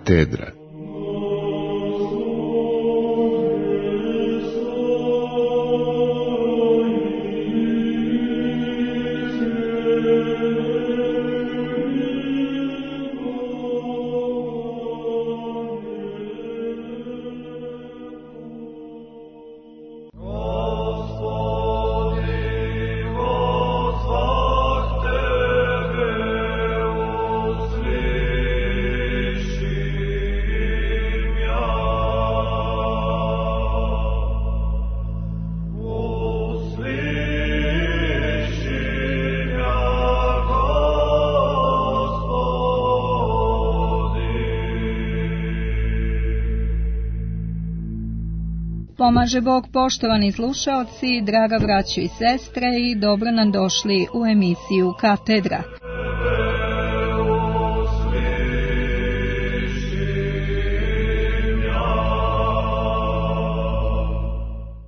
Katedra. Pomaže Bog, poštovani slušaoci, draga braćo i sestre, i dobro nam došli u emisiju Katedra.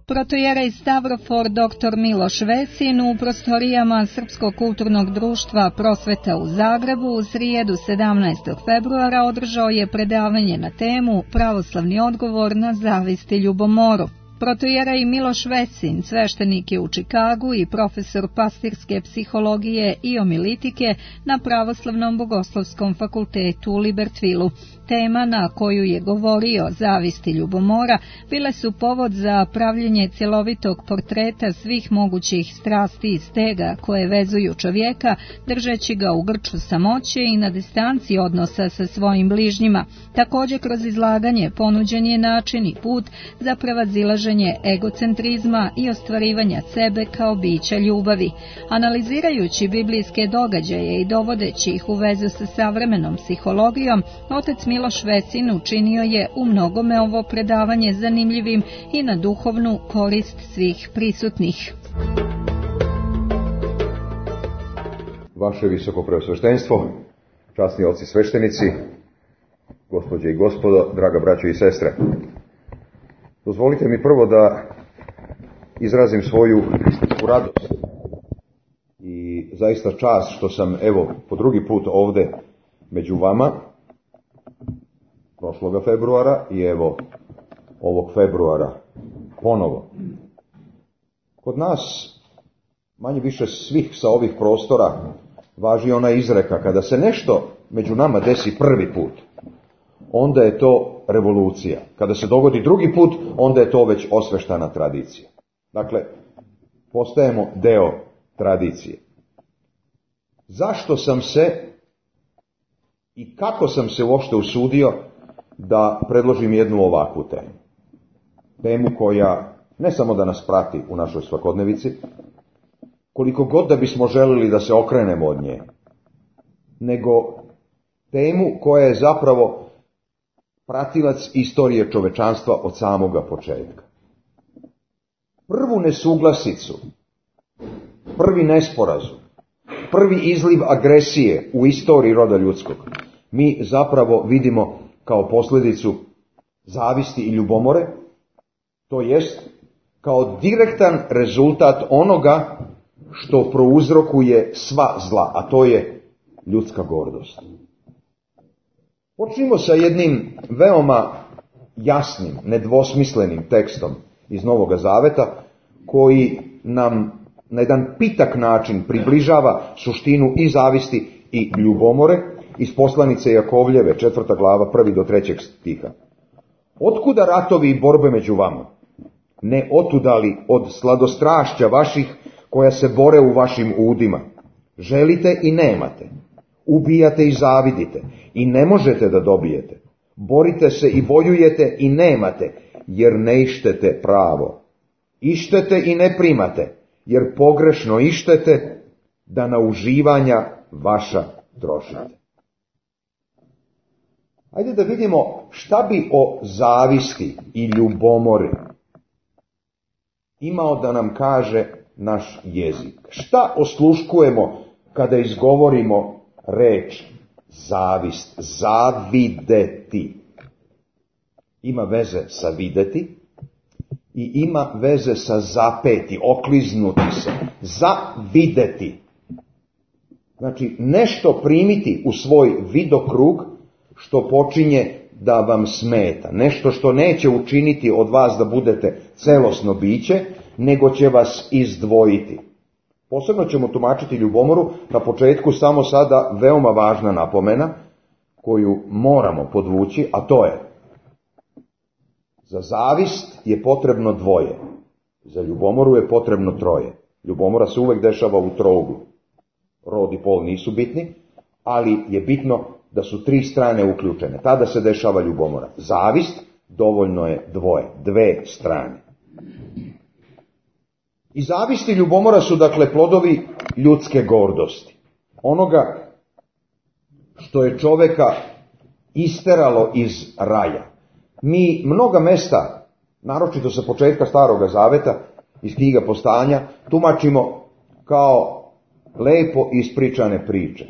Protojerej Stavrofor dr. Miloš Vesin u prostorijama Srpskog kulturnog društva Prosveta u Zagrebu u srijedu 17. februara održao je predavanje na temu Pravoslavni odgovor na zavist i ljubomoru. Protojerej Miloš Vesin, sveštenik je u Čikagu i profesor pastirske psihologije i omilitike na Pravoslavnom bogoslovskom fakultetu u Libertvilu. Tema na koju je govorio, zavist i ljubomora, bile su povod za pravljenje cjelovitog portreta svih mogućih strasti i stega koje vezuju čovjeka, držeći ga u grču samoće i na distanci odnosa sa svojim bližnjima. Također kroz izlaganje ponuđen je način i put za prevazilaženje egocentrizma i ostvarivanja sebe kao bića ljubavi. Analizirajući biblijske događaje i dovodeći ih u vezu sa savremenom psihologijom, otac Miloš Vesin učinio je u mnogome ovo predavanje zanimljivim i na duhovnu korist svih prisutnih. Vaše visoko preosveštenstvo, časni oci sveštenici, gospođe i gospodo, draga braćo i sestre. Dozvolite mi prvo da izrazim svoju hristijansku radost i zaista čast što sam, po drugi put ovde među vama, prošloga februara i ovog februara ponovo. Kod nas, manje više svih sa ovih prostora, važi ona izreka: kada se nešto među nama desi prvi put, onda je to revolucija. Kada se dogodi drugi put, onda je to već osveštana tradicija. Dakle, postajemo deo tradicije. Zašto sam se i kako sam se uopšte usudio da predložim jednu ovakvu temu? Temu koja ne samo da nas prati u našoj svakodnevici, koliko god da bismo želili da se okrenemo od nje, nego temu koja je zapravo pratilac istorije čovečanstva od samoga početka. Prvu nesuglasicu, prvi nesporazum, prvi izliv agresije u istoriji roda ljudskog mi zapravo vidimo kao posljedicu zavisti i ljubomore, to jest kao direktan rezultat onoga što prouzrokuje sva zla, a to je ljudska gordost. Počnimo sa jednim veoma jasnim, nedvosmislenim tekstom iz Novoga Zaveta, koji nam na jedan pitak način približava suštinu i zavisti i ljubomore iz poslanice Jakovljeve, 4. glava, 1. do 3. stiha. Otkuda ratovi i borbe među vama? Ne otudali od sladostrašća vaših koja se bore u vašim udima. Želite i nemate. Ubijate i zavidite i ne možete da dobijete. Borite se i vojujete i nemate, jer ne ištete pravo. Ištete i ne primate, jer pogrešno ištete, da na uživanja vaša trošite. Ajde da vidimo šta bi o zavisti i ljubomori imao da nam kaže naš jezik. Šta osluškujemo kada izgovorimo reč zavist, zavideti? Ima veze sa videti i ima veze sa zapeti, okliznuti se, zavideti. Znači nešto primiti u svoj vidokrug što počinje da vam smeta, nešto što neće učiniti od vas da budete celosno biće, nego će vas izdvojiti. Posebno ćemo tumačiti ljubomoru, na početku samo sada veoma važna napomena koju moramo podvući, a to je: za zavist je potrebno dvoje, za ljubomoru je potrebno troje. Ljubomora se uvek dešava u trouglu. Rod i pol nisu bitni, ali je bitno da su tri strane uključene. Tada se dešava ljubomora. Zavist, dovoljno je dve strane. I zavist i ljubomora su dakle plodovi ljudske gordosti. Onoga što je čoveka isteralo iz raja. Mi mnoga mesta, naročito sa početka Staroga Zaveta, iz knjiga Postanja, tumačimo kao lepo ispričane priče.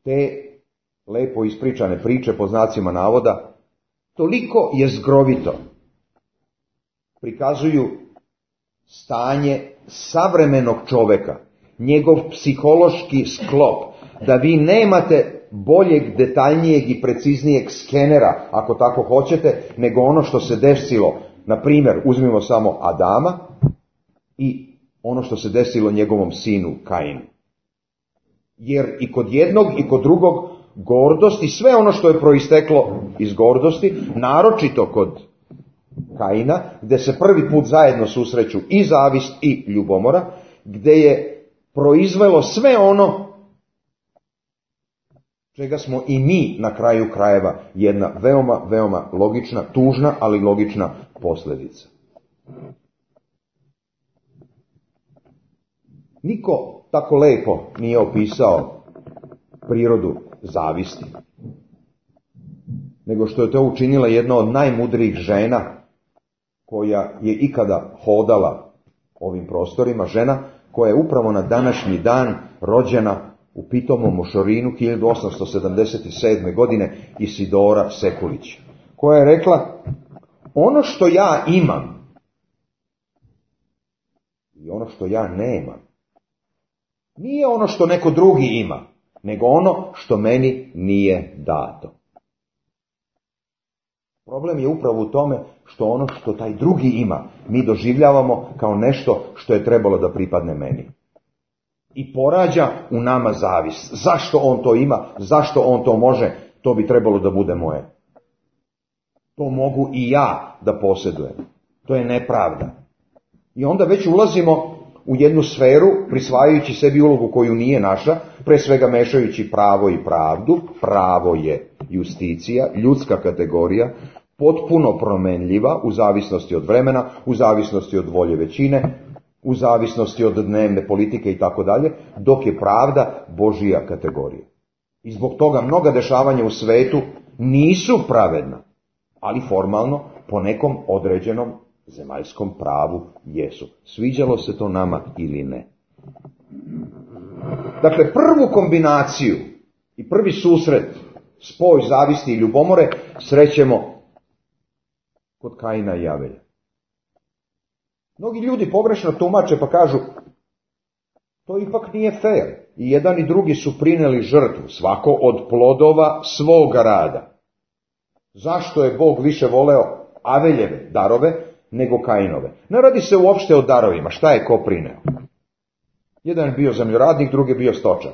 Te lepo ispričane priče, po znacima navoda, toliko jezgrovito prikazuju stanje savremenog čoveka, njegov psihološki sklop, da vi nemate boljeg, detaljnijeg i preciznijeg skenera, ako tako hoćete, nego ono što se desilo. Na primjer, uzmimo samo Adama i ono što se desilo njegovom sinu Kainu. Jer i kod jednog i kod drugog gordost i sve ono što je proisteklo iz gordosti, naročito kod Kaina, gde se prvi put zajedno susreću i zavist i ljubomora, gde je proizvelo sve ono čega smo i mi na kraju krajeva jedna veoma, veoma logična, tužna, ali logična posljedica. Niko tako lepo nije opisao prirodu zavisti, nego što je to učinila jedna od najmudrijih žena koja je ikada hodala ovim prostorima, žena koja je upravo na današnji dan rođena u pitomom Mošorinu 1877. godine, Isidora Sekulić, koja je rekla: ono što ja imam i ono što ja nemam nije ono što neko drugi ima, nego ono što meni nije dato. Problem je upravo u tome što ono što taj drugi ima mi doživljavamo kao nešto što je trebalo da pripadne meni. I porađa u nama zavist. Zašto on to ima? Zašto on to može? To bi trebalo da bude moje. To mogu i ja da posjedujem. To je nepravda. I onda već ulazimo u jednu sferu, prisvajajući sebi ulogu koju nije naša, pre svega mešajući pravo i pravdu. Pravo je justicija, ljudska kategorija, potpuno promenljiva u zavisnosti od vremena, u zavisnosti od volje većine, u zavisnosti od dnevne politike i tako dalje, dok je pravda Božija kategorija. I zbog toga mnoga dešavanja u svetu nisu pravedna, ali formalno po nekom određenom zemaljskom pravu jesu. Sviđalo se to nama ili ne. Dakle, prvu kombinaciju i prvi susret, spoj zavisti i ljubomore, srećemo kod Kaina i Avelja. Mnogi ljudi pogrešno tumače pa kažu: to ipak nije fair. I jedan i drugi su prineli žrtvu, svako od plodova svoga rada. Zašto je Bog više voleo Aveljeve darove nego Kainove? Ne radi se uopšte o darovima, šta je ko prineo. Jedan je bio zemljoradnik, drugi je bio stočar.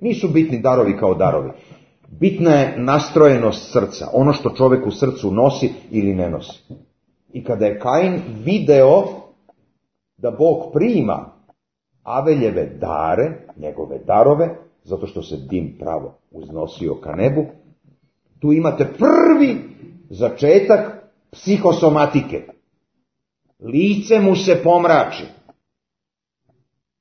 Nisu bitni darovi kao darovi. Bitna je nastrojenost srca, ono što čovjek u srcu nosi ili ne nosi. I kada je Kain video da Bog prima Aveljeve dare, njegove darove, zato što se dim pravo uznosio ka nebu, tu imate prvi začetak psihosomatike. Lice mu se pomrači.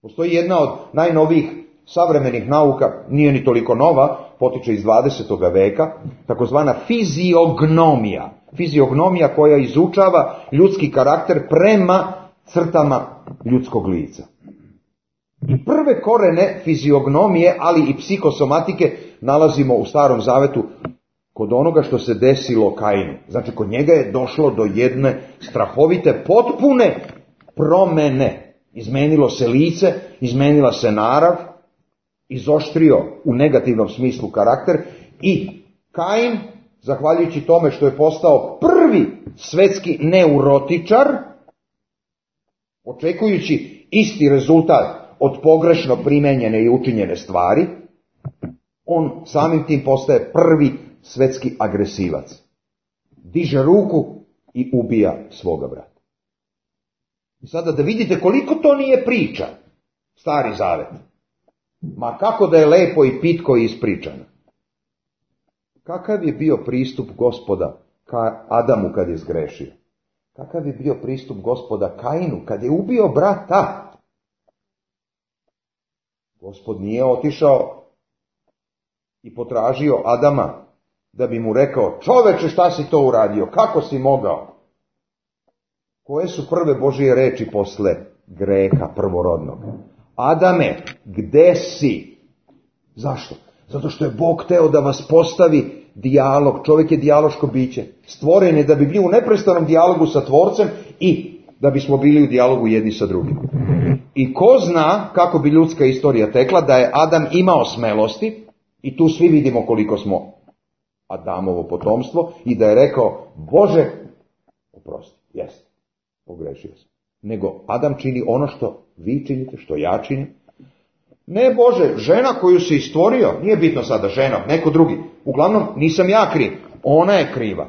Postoji jedna od najnovijih savremenih nauka, nije ni toliko nova, potiče iz 20. veka, takozvana fiziognomija. Fiziognomija koja izučava ljudski karakter prema crtama ljudskog lica. I prve korene fiziognomije, ali i psihosomatike nalazimo u Starom Zavetu kod onoga što se desilo Kainu. Znači, kod njega je došlo do jedne strahovite, potpune promene. Izmenilo se lice, izmenila se narav, izoštrio u negativnom smislu karakter i Kain zahvaljujući tome što je postao prvi svetski neurotičar, očekujući isti rezultat od pogrešno primenjene i učinjene stvari, on samim tim postaje prvi svetski agresivac. Diže ruku i ubija svoga brata. I sada da vidite koliko to nije priča, Stari Zavet. Ma kako da je lepo i pitko ispričano. Kakav je bio pristup Gospoda ka Adamu kad je zgrešio? Kakav je bio pristup Gospoda Kainu kad je ubio brata? Gospod nije otišao i potražio Adama da bi mu rekao: čoveče, šta si to uradio, kako si mogao? Koje su prve Božije reči posle greha prvorodnog? Adame, gde si? Zašto? Zato što je Bog hteo da vas postavi dijalog. Čovjek je dijaloško biće. Stvoren je da bi bio u neprestanom dijalogu sa Tvorcem i da bismo bili u dijalogu jedni sa drugim. I ko zna kako bi ljudska istorija tekla da je Adam imao smelosti, i tu svi vidimo koliko smo Adamovo potomstvo, i da je rekao: Bože, oprosti, jeste, pogrešio sam. Nego Adam čini ono što vi činite, što ja činim. Ne, Bože, žena koju si stvorio, nije bitno sada žena, neko drugi. Uglavnom, nisam ja kriv, ona je kriva.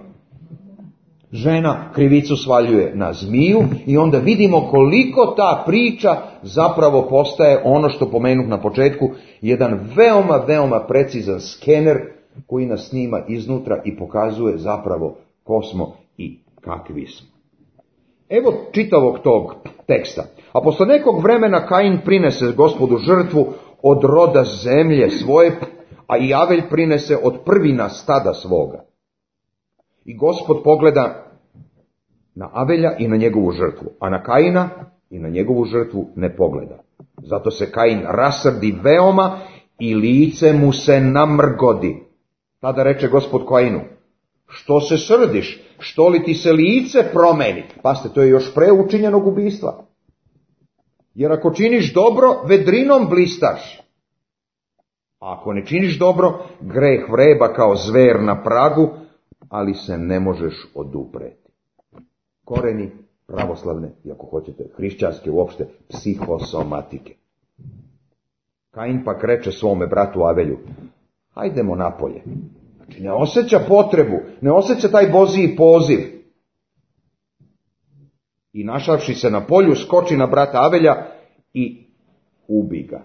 Žena krivicu svaljuje na zmiju i onda vidimo koliko ta priča zapravo postaje ono što pomenuh na početku, jedan veoma precizan skener koji nas snima iznutra i pokazuje zapravo ko smo i kakvi smo. Evo čitavog tog teksta. A posle nekog vremena Kain prinese Gospodu žrtvu od roda zemlje svoje, a i Avelj prinese od prvina stada svoga. I Gospod pogleda na Avelja i na njegovu žrtvu, a na Kaina i na njegovu žrtvu ne pogleda. Zato se Kain rasrdi veoma i lice mu se namrgodi. Tada reče Gospod Kainu: što se srdiš, što li ti se lice promeni? Pazite, to je još pre učinjenog ubistva. Jer ako činiš dobro, vedrinom blistaš. A ako ne činiš dobro, greh vreba kao zver na pragu, ali se ne možeš odupreti. Koreni pravoslavne, i ako hoćete hrišćanske uopšte, psihosomatike. Kain pak reče svome bratu Avelju: hajdemo napolje. Znači ne osjeća potrebu, ne osjeća taj Božji poziv. I našavši se na polju, skoči na brata Avelja i ubi ga.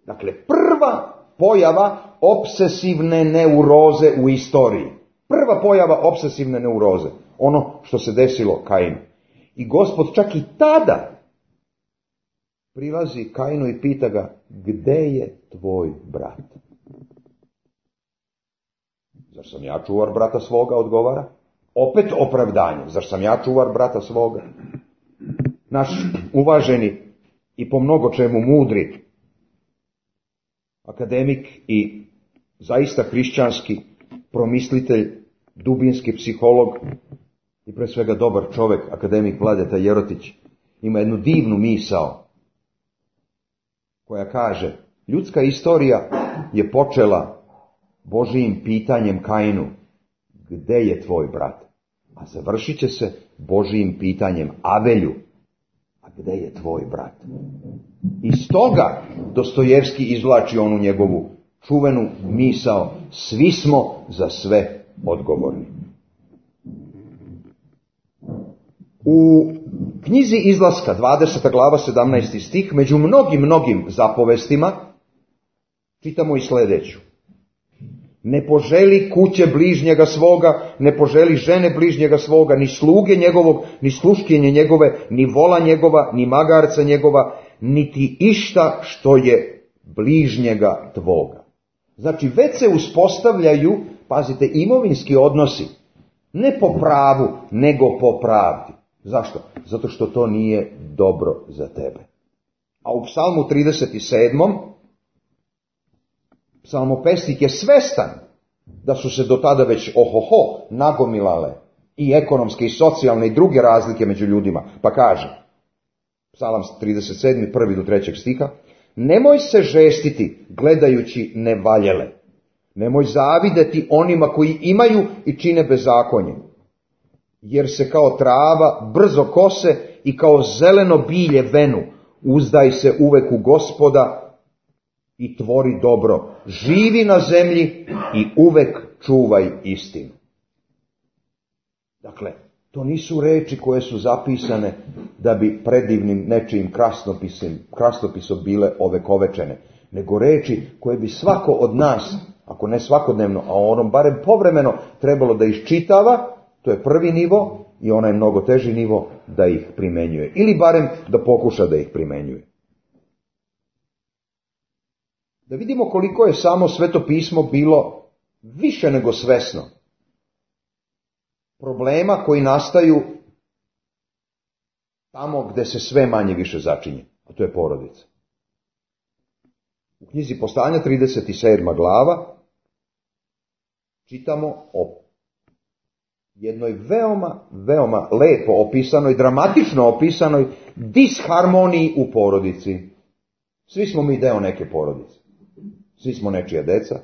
Dakle, prva pojava obsesivne neuroze u istoriji. Prva pojava obsesivne neuroze. Ono što se desilo Kainu. I Gospod čak i tada prilazi Kainu i pita ga: gde je tvoj brat? Zar sam ja čuvar brata svoga, odgovara? Opet opravdanje. Zar sam ja čuvar brata svoga? Naš uvaženi i po mnogo čemu mudri akademik i zaista hrišćanski promislitelj, dubinski psiholog i pre svega dobar čovek, akademik Vladeta Jerotić, ima jednu divnu misao koja kaže: ljudska istorija je počela Božijim pitanjem Kainu: gde je tvoj brat? A završit će se Božijim pitanjem Avelju: a gde je tvoj brat? Iz toga Dostojevski izvlači onu njegovu čuvenu misao: svi smo za sve odgovorni. U knjizi Izlaska, 20. glava, 17. stih, među mnogim zapovestima čitamo i sljedeću: ne poželi kuće bližnjega svoga, ne poželi žene bližnjega svoga, ni sluge njegovog, ni sluškinje njegove, ni vola njegova, ni magarca njegova, niti išta što je bližnjega tvoga. Znači, već se uspostavljaju, pazite, imovinski odnosi, ne po pravu, nego po pravdi. Zašto? Zato što to nije dobro za tebe. A u Psalmu 37. psalmopesnik je svestan da su se do tada već nagomilale i ekonomske i socijalne i druge razlike među ljudima. Pa kaže, Psalam 37. 1. do 3. stiha: nemoj se žestiti gledajući nevaljele, Nemoj zavideti onima koji imaju i čine bezakonje, jer se kao trava brzo kose i kao zeleno bilje venu. Uzdaj se uvek u Gospoda i tvori dobro. Živi na zemlji i uvek čuvaj istinu. Dakle, to nisu reči koje su zapisane da bi predivnim nečijim krasnopisom bile ovekovečene, nego reči koje bi svako od nas, ako ne svakodnevno, a onom barem povremeno, trebalo da iščitava. To je prvi nivo i onaj mnogo teži nivo da ih primenjuje. Ili barem da pokuša da ih primenjuje. Da vidimo koliko je samo Sveto pismo bilo više nego svesno problema koji nastaju tamo gde se sve manje više začinje, a to je porodica. U knjizi Postanja 37. glava čitamo o jednoj veoma lepo opisanoj, dramatično opisanoj disharmoniji u porodici. Svi smo mi deo neke porodice. Svi smo nečija deca,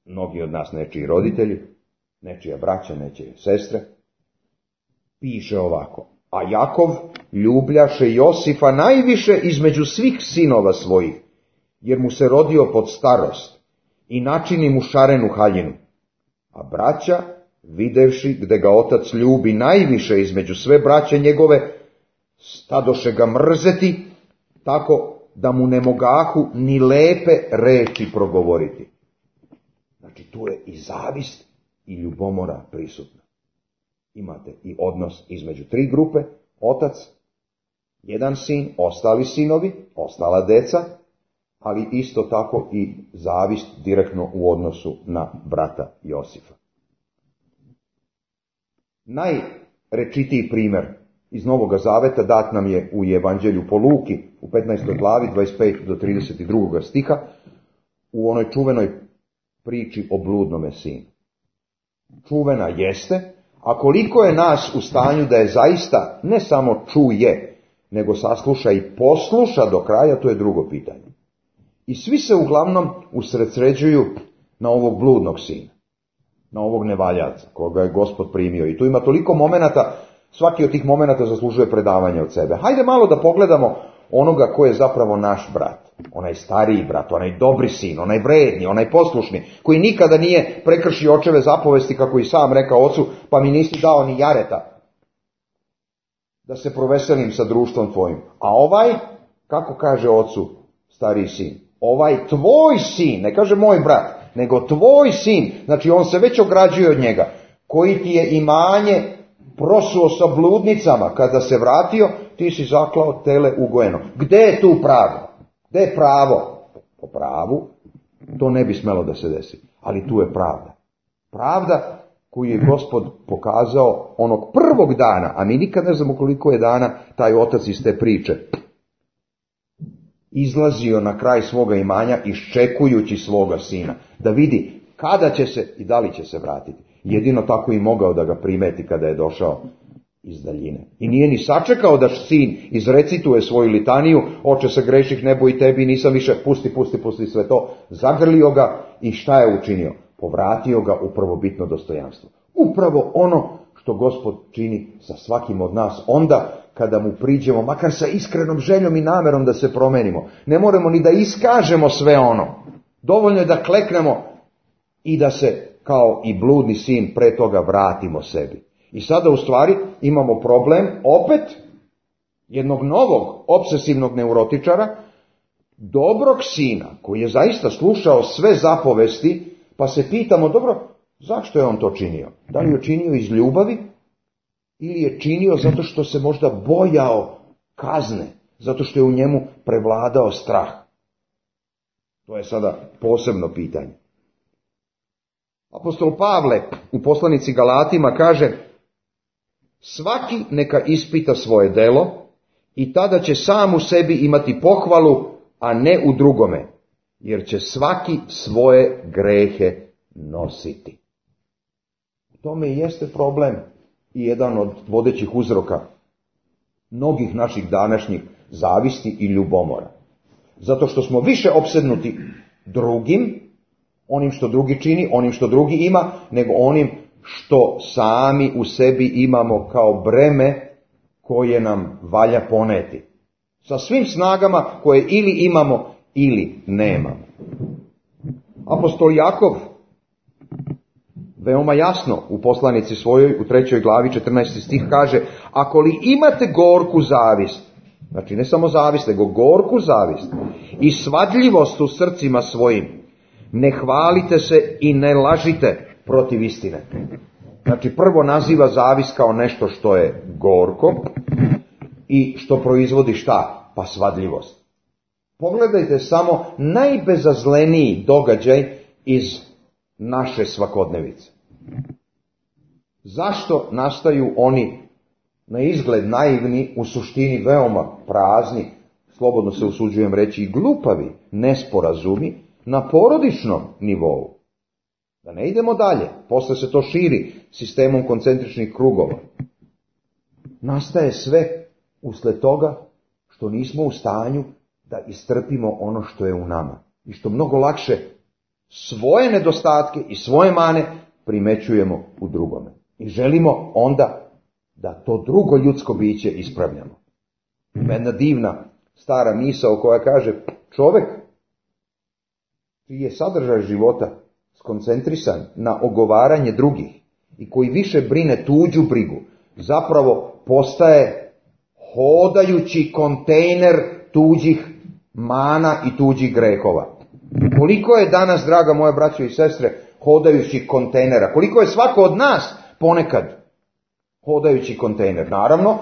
mnogi od nas nečiji roditelji, nečija braća, nečije sestre. Piše ovako: a Jakov ljubljaše Josifa najviše između svih sinova svojih, jer mu se rodio pod starost i načini mu šarenu haljinu. A braća, videvši gde ga otac ljubi najviše između sve braće njegove, stadoše ga mrzeti, tako da mu ne mogahu ni lepe reči progovoriti. Znači, tu je i zavist i ljubomora prisutna. Imate i odnos između tri grupe: otac, jedan sin, ostali sinovi, ostala deca, ali isto tako i zavist direktno u odnosu na brata Josifa. Najrečitiji primer iz Novoga Zaveta dat nam je u Evanđelju po Luki u 15. glavi 25. do 32. stiha, u onoj čuvenoj priči o bludnome sinu. Čuvena jeste, a koliko je nas u stanju da je zaista ne samo čuje, nego sasluša i posluša do kraja, to je drugo pitanje. I svi se uglavnom usredsređuju na ovog bludnog sina, na ovog nevaljaca koga je Gospod primio. I tu ima toliko momenata, svaki od tih momenata zaslužuje predavanje od sebe. Hajde malo da pogledamo onoga ko je zapravo naš brat, onaj stariji brat, onaj dobri sin, onaj vredni, onaj poslušni, koji nikada nije prekršio očeve zapovesti, kako i sam rekao ocu: pa mi nisi dao ni jareta da se proveselim sa društvom tvojim. A ovaj, kako kaže ocu stariji sin, ovaj tvoj sin, ne kaže moj brat, nego tvoj sin, znači on se već ograđuje od njega, koji ti je imanje prosuo sa bludnicama, kada se vratio, ti si zaklao tele ugojeno. Gde je tu pravo? Gde je pravo? Po pravu to ne bi smelo da se desi, ali tu je pravda. Pravda koju je Gospod pokazao onog prvog dana, a mi nikad ne znamo koliko je dana taj otac iz te priče izlazio na kraj svoga imanja, iščekujući svoga sina, da vidi kada će se i da li će se vratiti. Jedino tako i mogao da ga primeti kada je došao iz daljine. I nije ni sačekao da sin izrecituje svoju litaniju: oče, se greših nebo i tebi, nisam više, pusti sve to. Zagrlio ga i šta je učinio? Povratio ga u prvobitno dostojanstvo. Upravo ono što Gospod čini sa svakim od nas onda kada mu priđemo, makar sa iskrenom željom i namerom da se promenimo. Ne moramo ni da iskažemo sve ono. Dovoljno je da kleknemo i da se, kao i bludni sin, pre toga vratimo sebi. I sada u stvari imamo problem opet jednog novog obsesivnog neurotičara, dobrog sina koji je zaista slušao sve zapovesti, pa se pitamo: dobro, zašto je on to činio? Da li je činio iz ljubavi ili je činio zato što se možda bojao kazne, zato što je u njemu prevladao strah? To je sada posebno pitanje. Apostol Pavle u poslanici Galatima kaže: svaki neka ispita svoje delo i tada će sam u sebi imati pohvalu, a ne u drugome, jer će svaki svoje grehe nositi. U tome i jeste problem i jedan od vodećih uzroka mnogih naših današnjih zavisti i ljubomora. Zato što smo više opsednuti drugim, onim što drugi čini, onim što drugi ima, nego onim što sami u sebi imamo kao breme koje nam valja poneti. Sa svim snagama koje ili imamo ili nemamo. Apostol Jakov veoma jasno u poslanici svojoj u 3. glavi 14. stih kaže: ako li imate gorku zavist, znači ne samo zavist, nego gorku zavist i svadljivost u srcima svojim, ne hvalite se i ne lažite protiv istine. Znači prvo naziva zavist kao nešto što je gorko i što proizvodi šta? Pa svadljivost. Pogledajte samo najbezazleniji događaj iz naše svakodnevice. Zašto nastaju oni na izgled naivni, u suštini veoma prazni, slobodno se usuđujem reći i glupavi, nesporazumi na porodičnom nivou? Da ne idemo dalje, posle se to širi sistemom koncentričnih krugova. Nastaje sve usled toga što nismo u stanju da istrpimo ono što je u nama i što mnogo lakše svoje nedostatke i svoje mane primećujemo u drugome. I želimo onda da to drugo ljudsko biće ispravljamo. Ima jedna divna stara misao koja kaže: čovek čiji je sadržaj života skoncentrisan na ogovaranje drugih i koji više brine tuđu brigu, zapravo postaje hodajući kontejner tuđih mana i tuđih grehova. Koliko je danas, draga moja braćo i sestre, hodajućih kontejnera? Koliko je svako od nas ponekad hodajući kontejner? Naravno,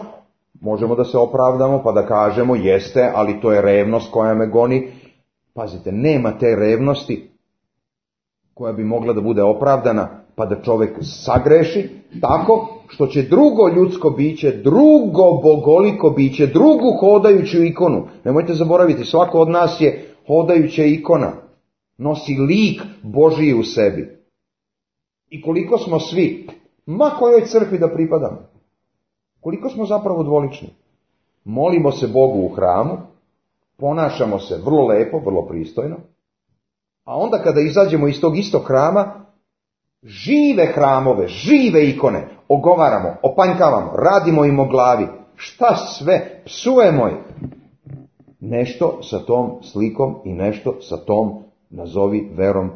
možemo da se opravdamo pa da kažemo jeste, ali to je revnost koja me goni. Pazite, nema te revnosti koja bi mogla da bude opravdana pa da čovjek sagreši tako što će drugo ljudsko biće, drugo bogoliko biće, drugu hodajuću ikonu. Nemojte zaboraviti, svako od nas je hodajuća ikona. Nosi lik Božiji u sebi. I koliko smo svi, ma kojoj crkvi da pripadamo, koliko smo zapravo dvolični. Molimo se Bogu u hramu, ponašamo se vrlo lepo, vrlo pristojno, a onda kada izađemo iz tog istog hrama, žive hramove, žive ikone ogovaramo, opanjkavamo, radimo im o glavi. Šta sve? Psujemo ih. Nešto sa tom slikom i nešto sa tom, nazovi, verom,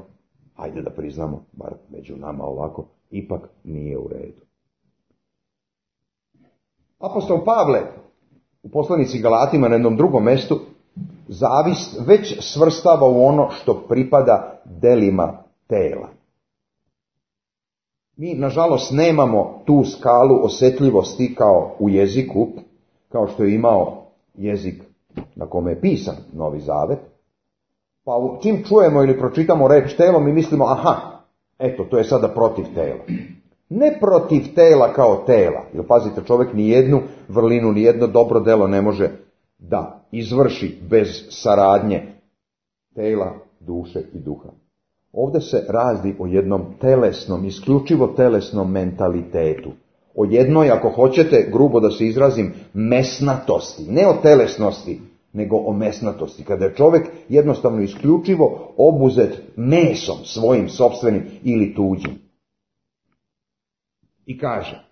ajde da priznamo, bar među nama ovako, ipak nije u redu. Apostol Pavle u poslanici Galatima na jednom drugom mestu zavist već svrstava u ono što pripada delima tela. Mi, nažalost, nemamo tu skalu osjetljivosti kao u jeziku, kao što je imao jezik na kome je pisan Novi Zavet. Pa čim čujemo ili pročitamo reč telo, mi mislimo, aha, eto, to je sada protiv tela. Ne protiv tela kao tela, jer pazite, čovjek ni jednu vrlinu, ni jedno dobro delo ne može da izvrši bez saradnje tela, duše i duha. Ovdje se radi o jednom telesnom, isključivo telesnom mentalitetu. O jednoj, ako hoćete, grubo da se izrazim, mesnatosti. Ne o telesnosti, nego o mesnatosti. Kada je čovjek jednostavno isključivo obuzet mesom svojim sopstvenim ili tuđim. I kaže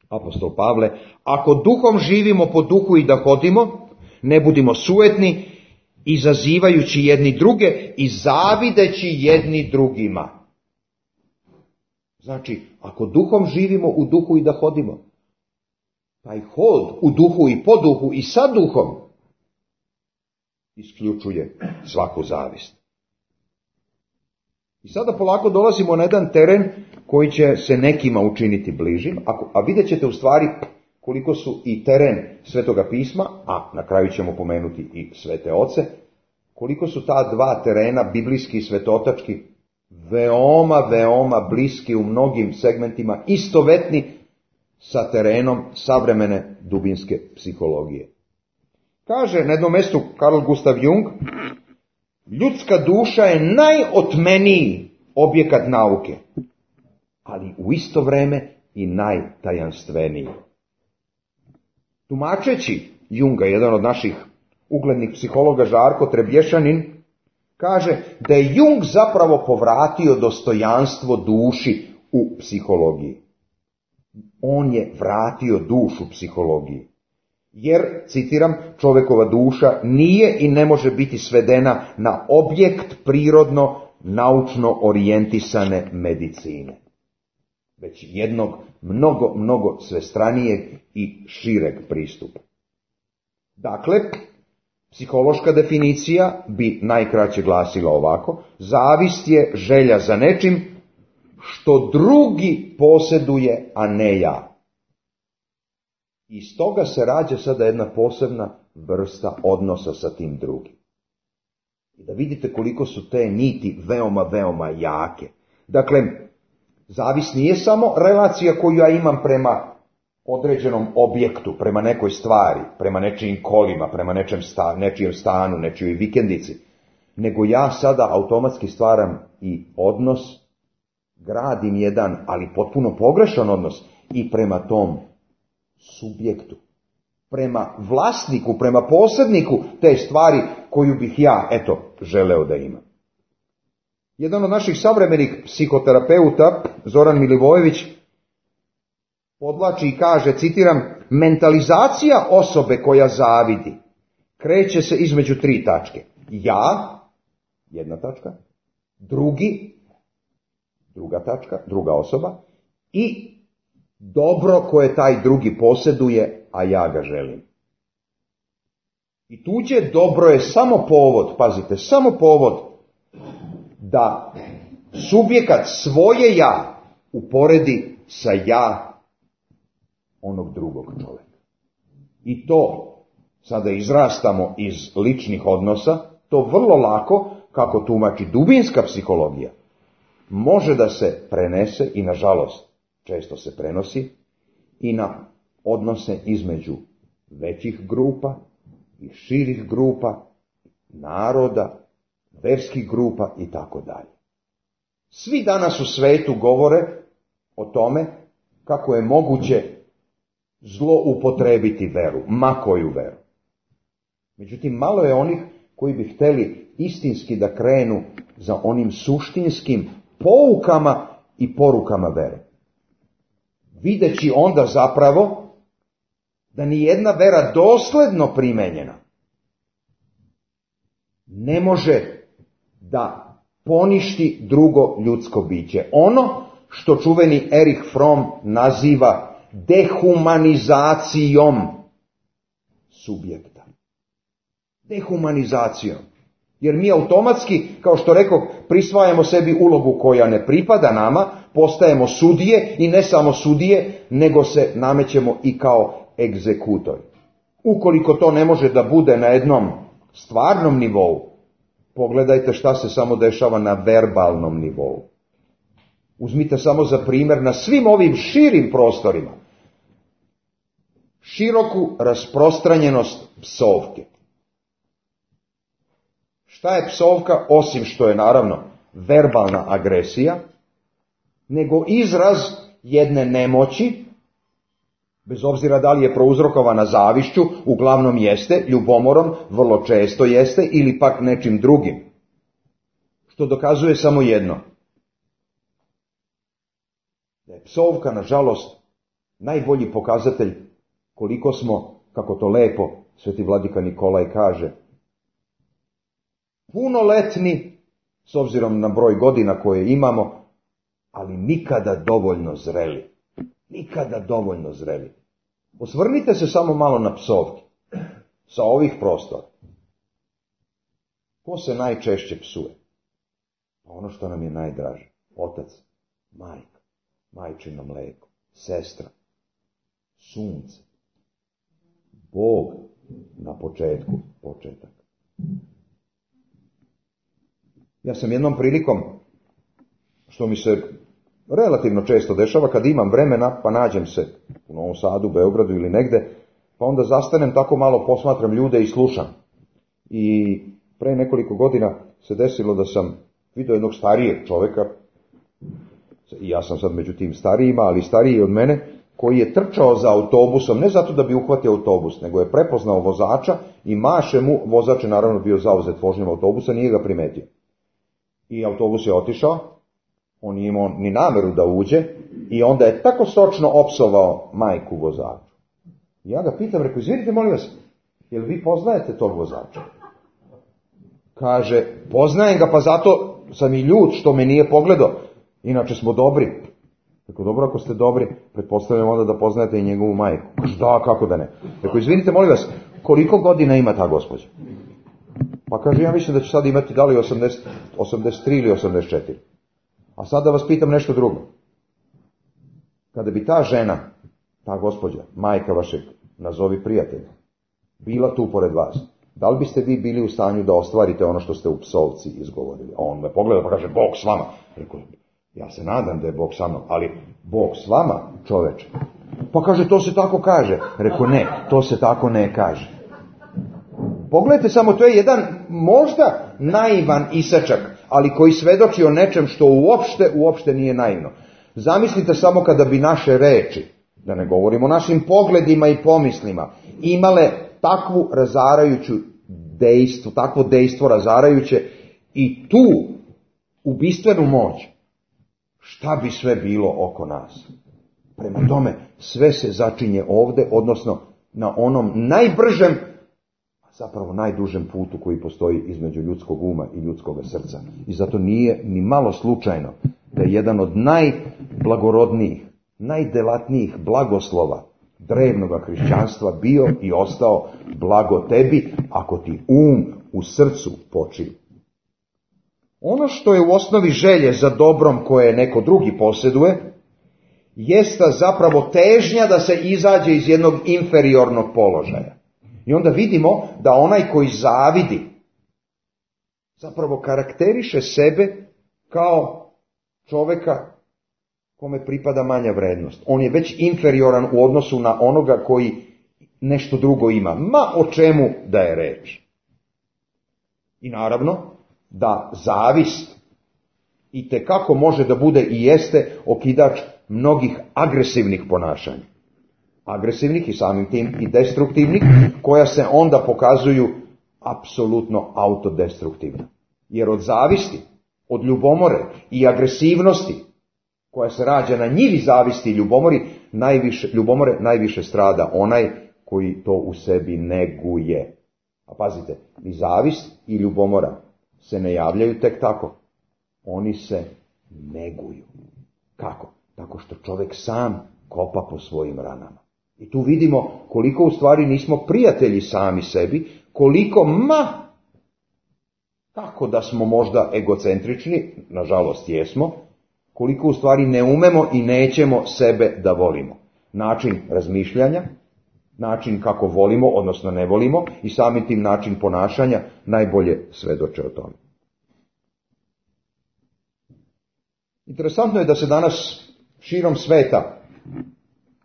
apostol Pavle: ako duhom živimo po duhu i da hodimo, ne budimo sujetni, izazivajući jedni druge i zavideći jedni drugima. Znači, ako duhom živimo u duhu i da hodimo, taj hod u duhu i po duhu i sa duhom isključuje svaku zavist. I sada polako dolazimo na jedan teren koji će se nekima učiniti bližim, a vidjet ćete u stvari koliko su i teren Svetoga pisma, a na kraju ćemo pomenuti i svete oce, koliko su ta dva terena, biblijski i svetotački, veoma bliski u mnogim segmentima, istovetni sa terenom savremene dubinske psihologije. Kaže na jednom mjestu Carl Gustav Jung: ljudska duša je najotmeniji objekat nauke, ali u isto vrijeme i najtajanstveniji. Tumačeći Junga, jedan od naših uglednih psihologa, Žarko Trebješanin, kaže da je Jung zapravo povratio dostojanstvo duši u psihologiji. On je vratio dušu psihologiji. Jer, citiram, čovjekova duša nije i ne može biti svedena na objekt prirodno, naučno orijentisane medicine, već jednog mnogo svestranijeg i šireg pristupa. Dakle, psihološka definicija bi najkraće glasila ovako: zavist je želja za nečim što drugi posjeduje, a ne ja. Iz toga se rađa sada jedna posebna vrsta odnosa sa tim drugim. I da vidite koliko su te niti veoma jake. Dakle, zavist nije samo relacija koju ja imam prema određenom objektu, prema nekoj stvari, prema nečijim kolima, prema nečijem stanu, nečijoj vikendici, nego ja sada automatski stvaram i odnos, gradim jedan, ali potpuno pogrešan odnos i prema tom subjektu, prema vlasniku, prema posredniku te stvari koju bih ja, želeo da imam. Jedan od naših savremenih psihoterapeuta, Zoran Milivojević, podvlači i kaže, citiram, mentalizacija osobe koja zavidi kreće se između 3 tačke. Ja, 1 tačka, drugi, 2 tačka, druga osoba, i dobro koje taj drugi posjeduje, a ja ga želim. I tuđe dobro je samo povod, pazite, samo povod da subjekat svoje ja uporedi sa ja onog drugog čovjeka. I to sada izrastamo iz ličnih odnosa, to vrlo lako, kako tumači dubinska psihologija, može da se prenese i, nažalost, često se prenosi i na odnose između većih grupa i širih grupa, naroda, verskih grupa i tako dalje. Svi danas u svetu govore o tome kako je moguće zloupotrebiti veru, ma koju veru. Međutim, malo je onih koji bi htjeli istinski da krenu za onim suštinskim poukama i porukama vere. Videći onda zapravo da ni jedna vera dosledno primenjena ne može da poništi drugo ljudsko biće. Ono što čuveni Erich Fromm naziva dehumanizacijom subjekta. Dehumanizacijom. Jer mi automatski, kao što rekoh, prisvajamo sebi ulogu koja ne pripada nama, postajemo sudije i ne samo sudije, nego se namećemo i kao egzekutori. Ukoliko to ne može da bude na jednom stvarnom nivou, pogledajte šta se samo dešava na verbalnom nivou. Uzmite samo za primjer na svim ovim širim prostorima široku rasprostranjenost psovke. Šta je psovka, osim što je naravno verbalna agresija, nego izraz jedne nemoći, bez obzira da li je prouzrokovana zavišću, uglavnom jeste, ljubomorom, vrlo često jeste, ili pak nečim drugim. Što dokazuje samo jedno. Da je psovka, nažalost, najbolji pokazatelj koliko smo, kako to lepo sveti vladika Nikolaj kaže, punoletni, s obzirom na broj godina koje imamo, ali nikada dovoljno zreli. Nikada dovoljno zreli. Osvrnite se samo malo na psovke sa ovih prostora. Ko se najčešće psuje? Ono što nam je najdraže. Otac, majka, majčino mleko, sestra, sunce, Bog na početku, početak. Ja sam jednom prilikom, što mi se relativno često dešava, kad imam vremena, pa nađem se u Novom Sadu, Beogradu ili negde, pa onda zastanem, tako malo posmatram ljude i slušam. I pre nekoliko godina se desilo da sam vidio jednog starijeg čoveka, i ja sam sad među tim starijima, ali stariji od mene, koji je trčao za autobusom, ne zato da bi uhvatio autobus, nego je prepoznao vozača i maše mu, vozač je naravno bio zauzet vožnjom autobusa, nije ga primetio. I autobus je otišao, on nije imao ni nameru da uđe i onda je tako sočno opsovao majku vozaču. Ja ga pitam, rekao, izvinite, molim vas, jel vi poznajete tog vozača? Kaže, poznajem ga, pa zato sam i ljut što me nije pogledao, inače smo dobri. Rekao, dobro, ako ste dobri, pretpostavljam onda da poznajete i njegovu majku. Kaže, da, kako da ne. Rekao, izvinite, molim vas, koliko godina ima ta gospođa? Pa kaže, ja mislim da će sad imati da li 83 ili 84. A sad da vas pitam nešto drugo. Kada bi ta žena, ta gospođa, majka vašeg, nazovi prijatelja, bila tu pored vas, da li biste vi bili u stanju da ostvarite ono što ste u psovci izgovorili? A on me pogleda pa kaže, Bog s vama. Rekao, ja se nadam da je Bog sa mnom, ali Bog s vama, čoveče. Pa kaže, to se tako kaže. Rekao, ne, to se tako ne kaže. Pogledajte samo, to je jedan možda naivan isečak, ali koji svedoči o nečem što uopšte nije naivno. Zamislite samo kada bi naše reči, da ne govorimo o našim pogledima i pomislima, imale takvu razarajuću dejstvo, takvo dejstvo razarajuće i tu ubistvenu moć, šta bi sve bilo oko nas? Prema tome, sve se začinje ovde, odnosno na onom najbržem, zapravo najdužem putu koji postoji između ljudskog uma i ljudskog srca. I zato nije ni malo slučajno da je jedan od najblagorodnijih, najdelatnijih blagoslova drevnog hrišćanstva bio i ostao blago tebi, ako ti u srcu počiva. Ono što je u osnovi želje za dobrom koje neko drugi posjeduje, jeste zapravo težnja da se izađe iz jednog inferiornog položaja. I onda vidimo da onaj koji zavidi zapravo karakteriše sebe kao čoveka kome pripada manja vrednost. On je već inferioran u odnosu na onoga koji nešto drugo ima. Ma o čemu da je reč. I naravno da zavist itekako može da bude i jeste okidač mnogih agresivnih ponašanja. Agresivnih i samim tim i destruktivnih, koja se onda pokazuju apsolutno autodestruktivno. Jer od zavisti, od ljubomore i agresivnosti, koja se rađa na njivi zavisti i ljubomore, najviše strada onaj koji to u sebi neguje. A pazite, i zavist i ljubomora se ne javljaju tek tako. Oni se neguju. Kako? Tako što čovjek sam kopa po svojim ranama. I tu vidimo koliko u stvari nismo prijatelji sami sebi, koliko kako da smo možda egocentrični, nažalost jesmo, koliko u stvari ne umemo i nećemo sebe da volimo. Način razmišljanja, način kako volimo, odnosno ne volimo, i samim tim način ponašanja najbolje svedoče o tome. Interesantno je da se danas širom sveta,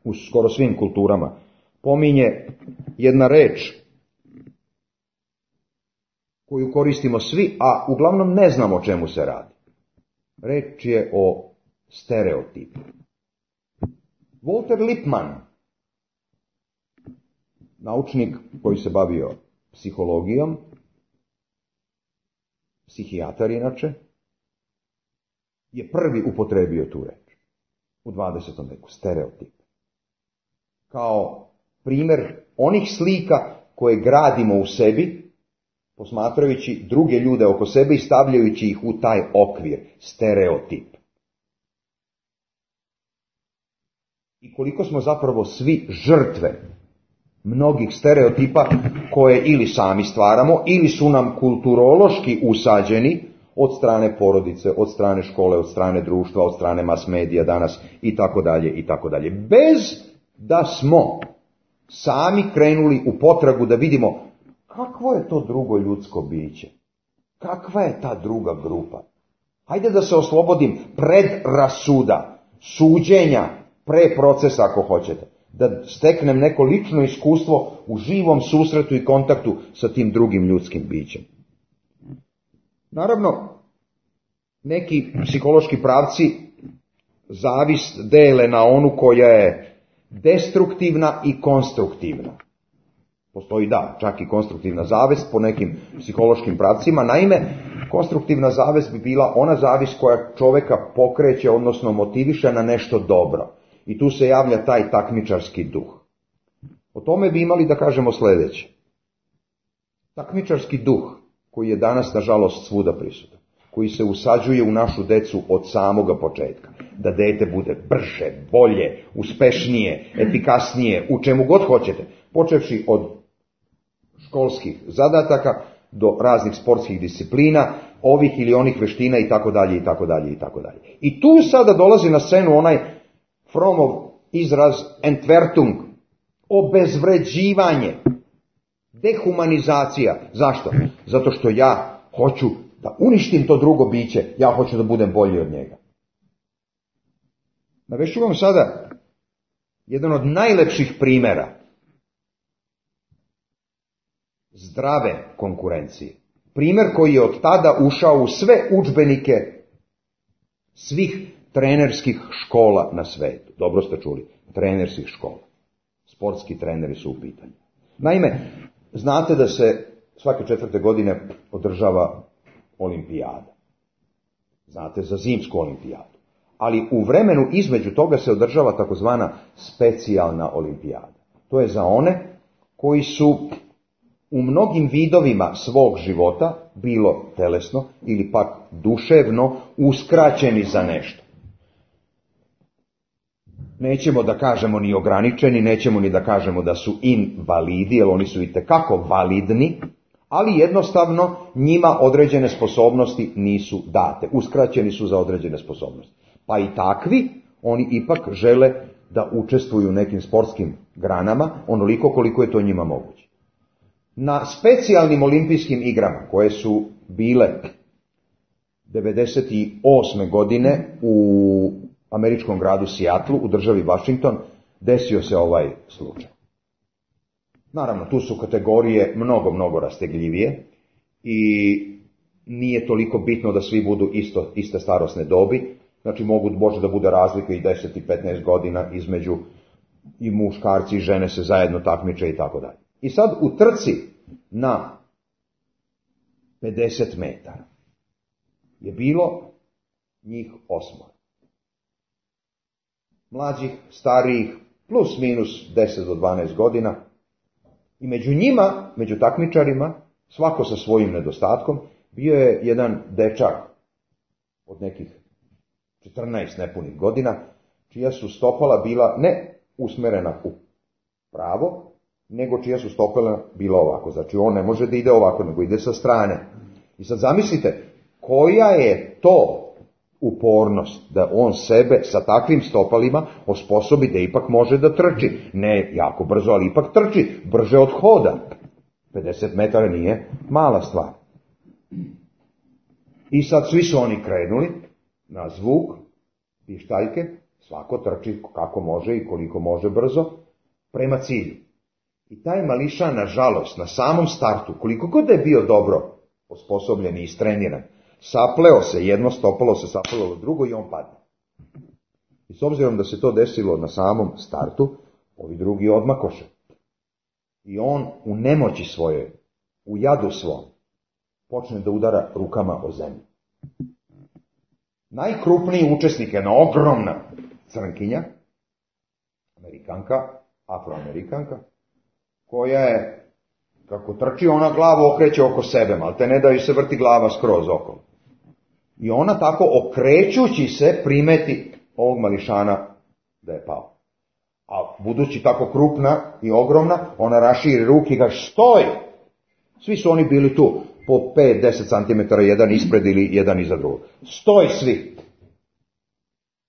u skoro svim kulturama, pominje jedna reč koju koristimo svi, a uglavnom ne znamo o čemu se radi. Reč je o stereotipu. Walter Lippmann, naučnik koji se bavio psihologijom, psihijatar inače, je prvi upotrebio tu reč u 20. veku, stereotip. Kao primjer onih slika koje gradimo u sebi, posmatrajući druge ljude oko sebe i stavljajući ih u taj okvir, stereotip. I koliko smo zapravo svi žrtve mnogih stereotipa koje ili sami stvaramo, ili su nam kulturološki usađeni od strane porodice, od strane škole, od strane društva, od strane mas medija danas i tako dalje i tako dalje. Bez da smo sami krenuli u potragu da vidimo kakvo je to drugo ljudsko biće, kakva je ta druga grupa. Hajde da se oslobodim predrasuda, suđenja, pre procesa ako hoćete, da steknem neko lično iskustvo u živom susretu i kontaktu sa tim drugim ljudskim bićem. Naravno, neki psihološki pravci zavist dele na onu koja je destruktivna i konstruktivna. Postoji čak i konstruktivna zavist po nekim psihološkim pravcima. Naime, konstruktivna zavist bi bila ona zavist koja čoveka pokreće, odnosno motiviše na nešto dobro. I tu se javlja taj takmičarski duh. O tome bi imali da kažemo sljedeće. Takmičarski duh, koji je danas, nažalost, svuda prisutan, koji se usađuje u našu decu od samoga početka, da dete bude brže, bolje, uspešnije, efikasnije, u čemu god hoćete, počevši od školskih zadataka do raznih sportskih disciplina, ovih ili onih veština i tako dalje, i tako dalje, i tako dalje. I tu sada dolazi na scenu onaj Frommov izraz Entwertung, obezvređivanje, dehumanizacija. Zašto? Zato što ja hoću da uništim to drugo biće, ja hoću da budem bolji od njega. Navešću vam sada jedan od najlepših primjera zdrave konkurencije. Primjer koji je od tada ušao u sve udžbenike svih trenerskih škola na svetu. Dobro ste čuli, trenerskih škola. Sportski treneri su u pitanju. Naime, znate da se svake 4. godine održava olimpijada. Znate za zimsku olimpijadu. Ali u vremenu između toga se održava takozvana specijalna olimpijada. To je za one koji su u mnogim vidovima svog života, bilo telesno ili pak duševno, uskraćeni za nešto. Nećemo da kažemo ni ograničeni, nećemo ni da kažemo da su invalidi, jer oni su itekako validni, ali jednostavno njima određene sposobnosti nisu date. Uskraćeni su za određene sposobnosti. Pa i takvi, oni ipak žele da učestvuju u nekim sportskim granama, onoliko koliko je to njima moguće. Na specijalnim olimpijskim igrama, koje su bile 1998. godine u američkom gradu Seattlu, u državi Washington, desio se ovaj slučaj. Naravno, tu su kategorije mnogo rastegljivije i nije toliko bitno da svi budu iste starosne dobi. Znači, može da bude razlika i 10 i 15 godina između i muškarci i žene se zajedno takmiče i tako dalje. I sad u trci na 50 metara je bilo njih 8. Mlađih, starijih, plus minus 10 do 12 godina. I među njima, među takmičarima, svako sa svojim nedostatkom, bio je jedan dečak od nekih 14 nepunih godina, čija su stopala bila ne usmerena u pravo, nego čija su stopala bila ovako. Znači on ne može da ide ovako, nego ide sa strane. I sad zamislite, koja je to upornost da on sebe sa takvim stopalima osposobi da ipak može da trči. Ne jako brzo, ali ipak trči, brže od hoda. 50 metara nije mala stvar. I sad svi su oni krenuli na zvuk, pištaljke, svako trči kako može i koliko može brzo, prema cilju. I taj mališa, nažalost, na samom startu, koliko god da je bio dobro osposobljen i istreniran, sapleo se, jedno stopalo se saplelo drugo i on padne. I s obzirom da se to desilo na samom startu, ovi drugi odmakoše. I on u nemoći svojoj, u jadu svom, počne da udara rukama o zemlju. Najkrupniji učesnik je jedna ogromna crnkinja, Amerikanka, Afroamerikanka, koja je, kako trči, ona glavu okreće oko sebe, malte ne da joj se vrti glava skroz okolo. I ona tako okrećući se primeti ovog mališana da je pao. A budući tako krupna i ogromna, ona raširi ruke i kaže stoj! Svi su oni bili tu, po 5-10 cm jedan ispred ili jedan iza drugog. Stoj svi!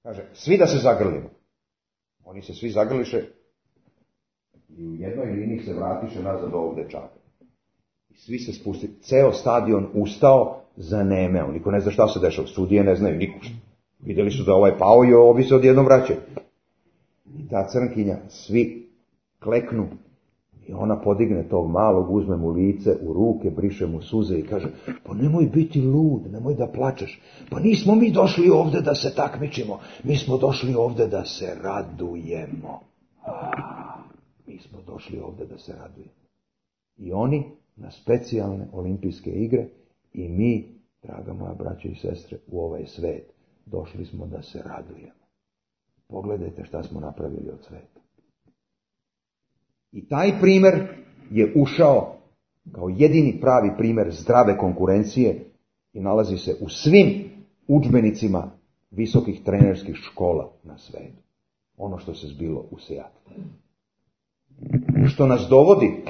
Kaže, svi da se zagrlimo. Oni se svi zagrliše i u jednoj liniji se vratiše nazad ovog dečaka. I svi se spustili. Ceo stadion ustao, zanemeo. Niko ne zna šta se dešava. Sudije ne znaju niko šta. Vidjeli su da ovaj pao i ovi se odjednom vraćaju. I ta crnkinja, svi kleknu i ona podigne tog malog, uzme mu lice u ruke, briše mu suze i kaže, pa nemoj biti lud, nemoj da plačeš. Pa nismo mi došli ovde da se takmičimo, mi smo došli ovde da se radujemo. Mi smo došli ovdje da se radujemo. I oni na specijalne olimpijske igre i mi, draga moja braćo i sestre, u ovaj svet došli smo da se radujemo. Pogledajte šta smo napravili od sveta. I taj primjer je ušao kao jedini pravi primjer zdrave konkurencije i nalazi se u svim udžbenicima visokih trenerskih škola na svijetu. Ono što se zbilo u Seatlu. Što nas dovodi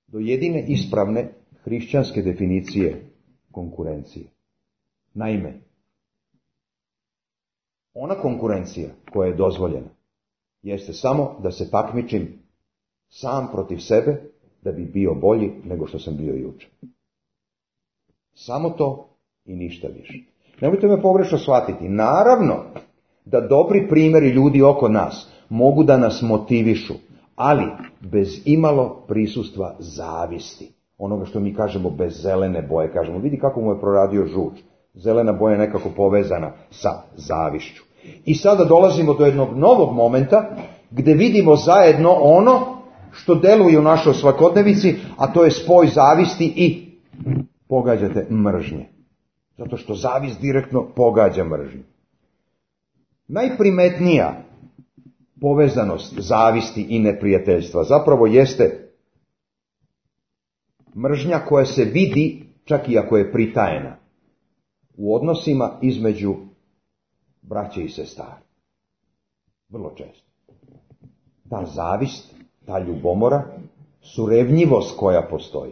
do jedine ispravne hrišćanske definicije konkurencije. Naime, ona konkurencija koja je dozvoljena jeste samo da se takmičim sam protiv sebe da bi bio bolji nego što sam bio jučer. Samo to i ništa više. Nemojte me pogrešno shvatiti. Naravno da dobri primjeri ljudi oko nas mogu da nas motivišu, ali bez imalo prisustva zavisti. Onoga što mi kažemo bez zelene boje. Kažemo, vidi kako mu je proradio žuč. Zelena boja je nekako povezana sa zavišću. I sada dolazimo do jednog novog momenta gdje vidimo zajedno ono što deluje u našoj svakodnevici, a to je spoj zavisti i, pogađate, mržnje. Zato što zavist direktno pogađa mržnju. Najprimetnija povezanost zavisti i neprijateljstva zapravo jeste mržnja koja se vidi, čak i ako je pritajena, u odnosima između braće i sestara. Vrlo često. Ta zavist, ta ljubomora, surevnjivost koja postoji.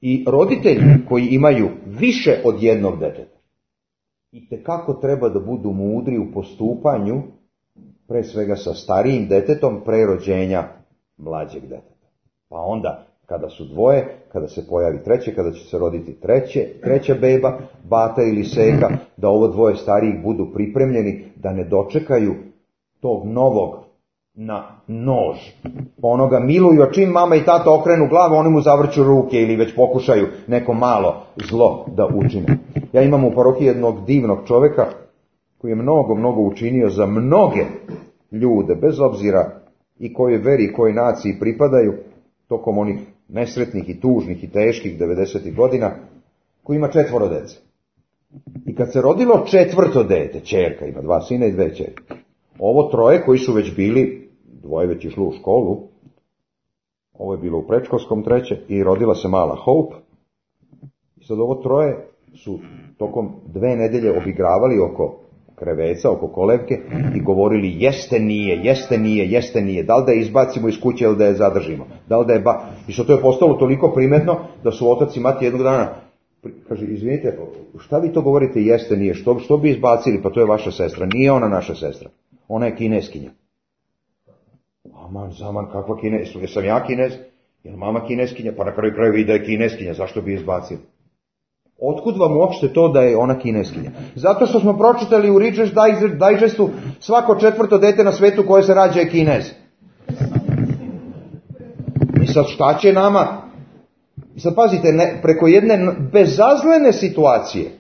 I roditelji koji imaju više od jednog deteta, itekako treba da budu mudri u postupanju, pre svega sa starijim detetom, pre rođenja mlađeg deteta. Pa onda, kada su dvoje, kada se pojavi treće, kada će se roditi treća beba, bata ili seka, da ovo dvoje starijih budu pripremljeni, da ne dočekaju tog novog na nož. Pa onoga miluju, a čim mama i tata okrenu glavu, oni mu zavrću ruke ili već pokušaju neko malo zlo da učine. Ja imam u parohiji jednog divnog čovjeka koji je mnogo učinio za mnoge ljude, bez obzira i kojoj veri i kojoj naciji pripadaju, tokom onih nesretnih i tužnih i teških 90. godina, koji ima 4 dece. I kad se rodilo 4. dete, ćerka, ima 2 sina i 2 ćerke. Ovo 3 koji su već bili, 2 već išlo u školu, ovo je bilo u predškolskom 3. i rodila se mala Hope. I sad ovo 3 su tokom 2 nedelje obigravali oko kreveca, oko kolevke i govorili jeste nije, da li da je izbacimo iz kuće ili da je zadržimo. Da li da je I što to je postalo toliko primetno da su otac i mati jednog dana kaže, izvinite, šta vi to govorite jeste nije, što bi izbacili, pa to je vaša sestra, nije ona naša sestra, ona je Kineskinja. Aman, zaman, kakva Kineskinja, jesam ja Kinez, je mama Kineskinja, pa na kraju krajeva i da je Kineskinja, zašto bi izbacili? Otkud vam uopšte to da je ona Kineskinja? Zato što smo pročitali u Reader's Digestu svako 4. dete na svetu koje se rađa je Kinez. I sad šta će nama? I sad pazite, preko jedne bezazlene situacije,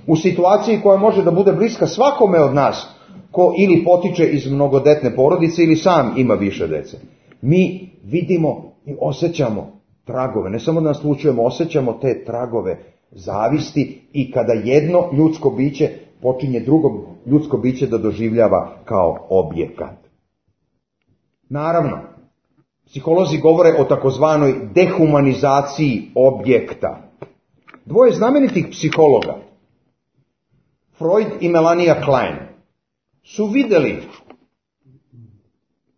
u situaciji koja može da bude bliska svakome od nas, ko ili potiče iz mnogodetne porodice ili sam ima više dece, mi vidimo i osjećamo tragove, ne samo da naslučujemo, osjećamo te tragove zavisti i kada jedno ljudsko biće počinje drugo ljudsko biće da doživljava kao objekat. Naravno, psiholozi govore o takozvanoj dehumanizaciji objekta. 2 znamenitih psihologa, Freud i Melania Klein, su vidjeli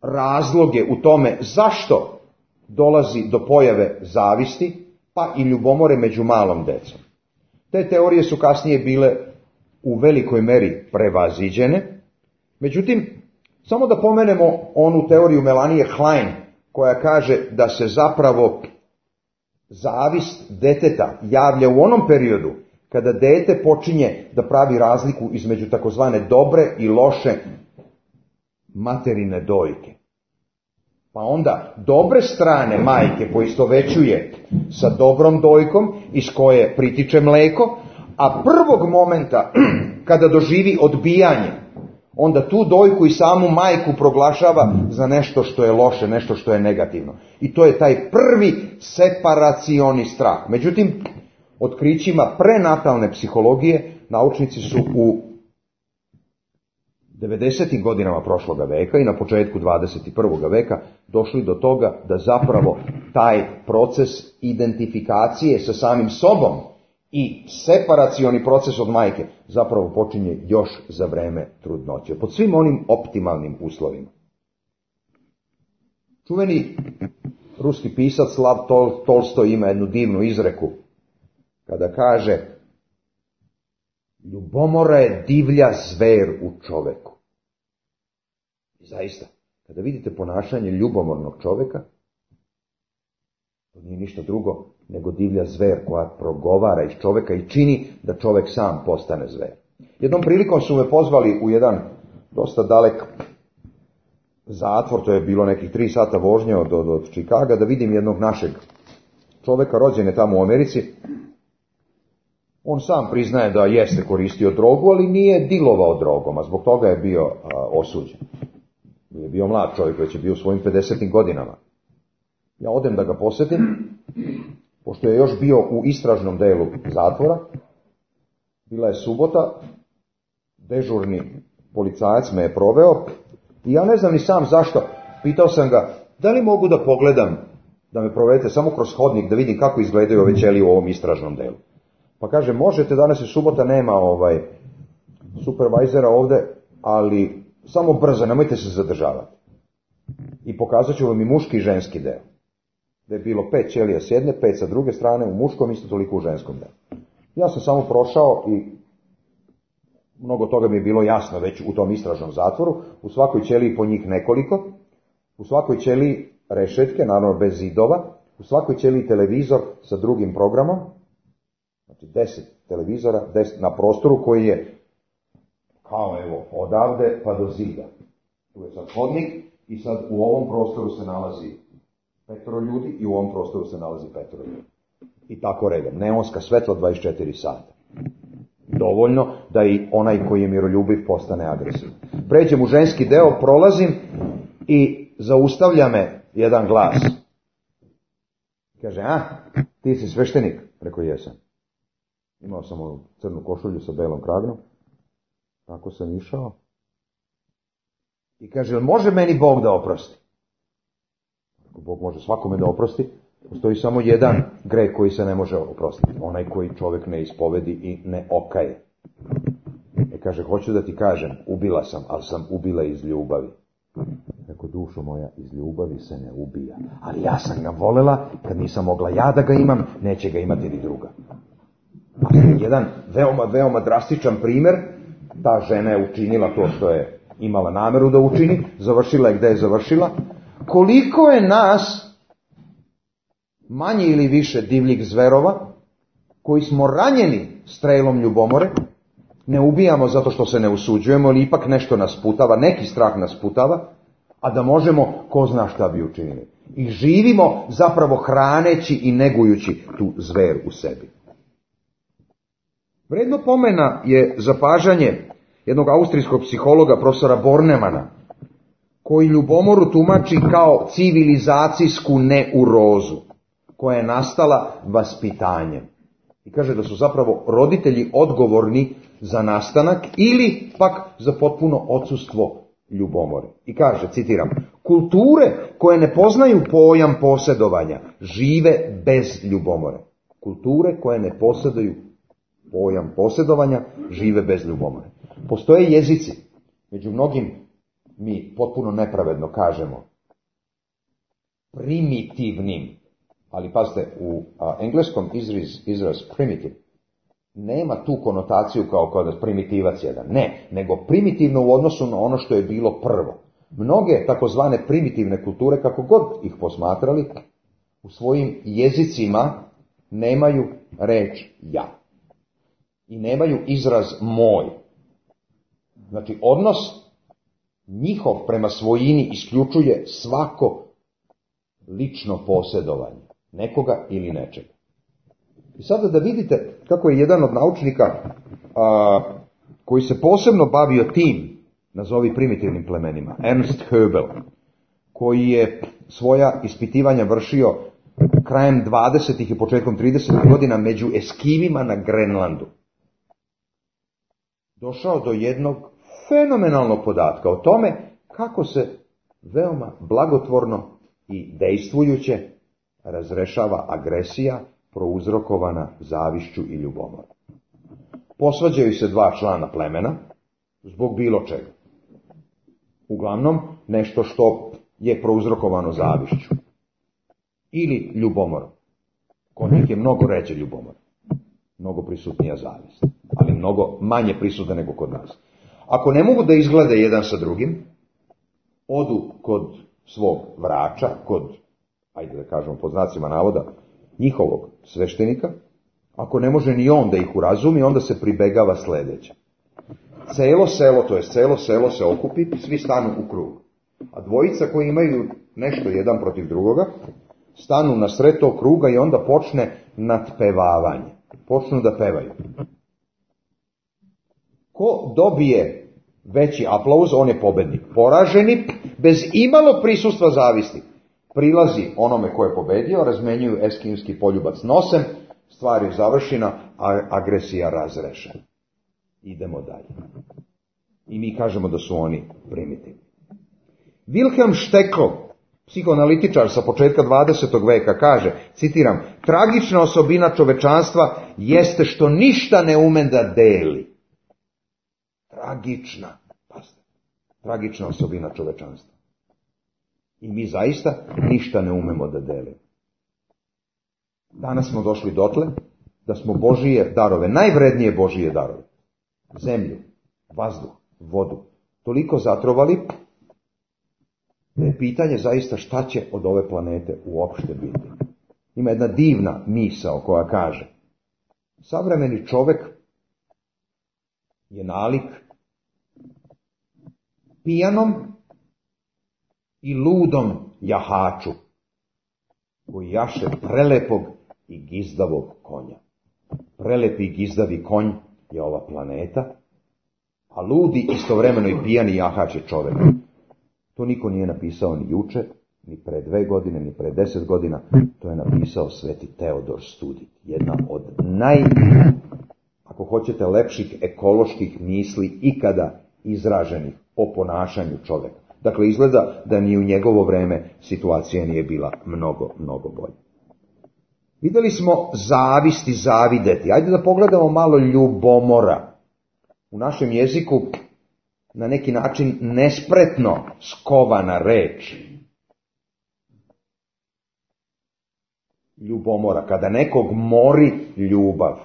razloge u tome zašto dolazi do pojave zavisti, pa i ljubomore među malom decom. Te teorije su kasnije bile u velikoj meri prevaziđene. Međutim, samo da pomenemo onu teoriju Melanie Klein, koja kaže da se zapravo zavist deteta javlja u onom periodu kada dete počinje da pravi razliku između takozvane dobre i loše materine dojke. Pa onda dobre strane majke poistovećuje sa dobrom dojkom iz koje pritiče mleko, a prvog momenta kada doživi odbijanje onda tu dojku i samu majku proglašava za nešto što je loše, nešto što je negativno. I to je taj prvi separacioni strah. Međutim, otkrićima prenatalne psihologije naučnici su u 90. godinama prošloga veka i na početku 21. veka došli do toga da zapravo taj proces identifikacije sa samim sobom i separacioni proces od majke zapravo počinje još za vreme trudnoće, pod svim onim optimalnim uslovima. Čuveni ruski pisac Lav Tolstoj ima jednu divnu izreku kada kaže: ljubomora je divlja zver u čoveku. I zaista, kada vidite ponašanje ljubomornog čoveka, to nije ništa drugo nego divlja zver koja progovara iz čoveka i čini da čovek sam postane zver. Jednom prilikom su me pozvali u jedan dosta dalek zatvor, to je bilo nekih 3 sata vožnje od Čikaga, da vidim jednog našeg čoveka, rođen je tamo u Americi. On sam priznaje da jeste koristio drogu, ali nije dilovao drogom, a zbog toga je bio osuđen. Je bio mlad čovjek, već je bio u svojim 50. godinama. Ja odem da ga posjetim, pošto je još bio u istražnom delu zatvora. Bila je subota, dežurni policajac me je proveo i ja ne znam ni sam zašto. Pitao sam ga, da li mogu da pogledam, da me provedete samo kroz hodnik, da vidim kako izgledaju ove ćelije u ovom istražnom delu. Pa kaže, možete, danas je subota, nema supervajzera ovde, ali samo brzo, nemojte se zadržavati. I pokazat ću vam i muški i ženski deo. Da je bilo 5 ćelija s jedne, 5 sa druge strane, u muškom, isto toliko u ženskom delu. Ja sam samo prošao i mnogo toga mi je bilo jasno već u tom istražnom zatvoru. U svakoj ćeliji po njih nekoliko, u svakoj ćeliji rešetke, naravno bez zidova, u svakoj ćeliji televizor sa drugim programom, znači 10 televizora, 10 na prostoru koji je kao evo odavde pa do zida. Tu je sad hodnik i sad u ovom prostoru se nalazi 5 ljudi i u ovom prostoru se nalazi 5 ljudi. I tako redom. Neonska svetla 24 sata. Dovoljno da i onaj koji je miroljubiv postane agresivan. Pređem u ženski deo, prolazim i zaustavlja me jedan glas. Kaže, ti si sveštenik? Rekao, jesam. Imao sam onu crnu košulju sa belom kragnom. Tako sam išao. I kaže, može meni Bog da oprosti? Bog može svakome da oprosti. Postoji samo jedan greh koji se ne može oprostiti. Onaj koji čovjek ne ispovedi i ne okaje. Kaže, hoću da ti kažem, ubila sam, ali sam ubila iz ljubavi. Rekao, dušo moja, iz ljubavi se ne ubija. Ali ja sam ga volela, kad nisam mogla ja da ga imam, neće ga imati ni druga. Jedan veoma drastičan primjer, ta žena je učinila to što je imala nameru da učini, završila je gde je završila. Koliko je nas, manje ili više divljih zverova, koji smo ranjeni strelom ljubomore, ne ubijamo zato što se ne usuđujemo, ali ipak nešto nas putava, neki strah nas putava, a da možemo, ko zna šta bi učinili. I živimo zapravo hraneći i negujući tu zver u sebi. Vredno pomena je zapažanje jednog austrijskog psihologa, profesora Bornemana, koji ljubomoru tumači kao civilizacijsku neurozu, koja je nastala vaspitanjem. I kaže da su zapravo roditelji odgovorni za nastanak ili pak za potpuno odsustvo ljubomore. I kaže, citiram, kulture koje ne poznaju pojam posjedovanja žive bez ljubomore. Kulture koje ne posjeduju pojam posjedovanja žive bez ljubomore. Postoje jezici, među mnogim mi potpuno nepravedno kažemo primitivnim, ali pazite, u engleskom izraz primitive nema tu konotaciju kao kod primitivac jedan. Ne, nego primitivno u odnosu na ono što je bilo prvo. Mnoge takozvane primitivne kulture, kako god ih posmatrali, u svojim jezicima nemaju reč ja. I nemaju izraz moj. Znači, odnos njihov prema svojini isključuje svako lično posjedovanje nekoga ili nečega. I sada da vidite kako je jedan od naučnika koji se posebno bavio tim nazovi primitivnim plemenima, Ernst Höbel, koji je svoja ispitivanja vršio krajem 20. i početkom 30. godina među Eskimima na Grenlandu, došao do jednog fenomenalnog podatka o tome kako se veoma blagotvorno i dejstvujuće razrešava agresija prouzrokovana zavišću i ljubomorom. Posvađaju se dva člana plemena zbog bilo čega. Uglavnom, nešto što je prouzrokovano zavišću ili ljubomorom. Kod njih je mnogo ređe ljubomor, mnogo prisutnija zavist, ali mnogo manje prisutna nego kod nas. Ako ne mogu da izglede jedan sa drugim, odu kod svog vrača, kod, ajde da kažemo pod znacima navoda, njihovog sveštenika. Ako ne može ni on da ih urazumi, onda se pribegava sledeće. Celo selo se okupi, svi stanu u krug. A dvojica koji imaju nešto jedan protiv drugoga, stanu na sred tog kruga i onda počne nadpevavanje. Počnu da pevaju. Ko dobije veći aplauz, on je pobednik. Poraženi, bez imalo prisustva zavisti, prilazi onome ko je pobedio, razmenjuju eskimski poljubac nosem, stvar je završena, a agresija razrešena. Idemo dalje. I mi kažemo da su oni primitivni. Wilhelm Stekel, psihoanalitičar sa početka 20. veka, kaže, citiram, tragična osobina čovečanstva jeste što ništa ne ume da deli. Tragična osobina čovečanstva. I mi zaista ništa ne umemo da delimo. Danas smo došli dotle da smo Božije darove, najvrednije Božije darove, zemlju, vazduh, vodu, toliko zatrovali da je pitanje zaista šta će od ove planete uopšte biti. Ima jedna divna misao koja kaže, savremeni čovek je nalik pijanom i ludom jahaču koji jaše prelepog i gizdavog konja. Prelepi i gizdavi konj je ova planeta, a ludi istovremeno i pijani jahač je čovek. To niko nije napisao ni juče, ni pre 2 godine, ni pre 10 godina. To je napisao sveti Teodor Studit. Jedna od ako hoćete, lepših ekoloških misli ikada izraženih o ponašanju čoveka. Dakle, izgleda da ni u njegovo vreme situacija nije bila mnogo bolja. Videli smo zavist i zavideti. Ajde da pogledamo malo ljubomora. U našem jeziku na neki način nespretno skovana reč. Ljubomora. Kada nekog mori ljubav.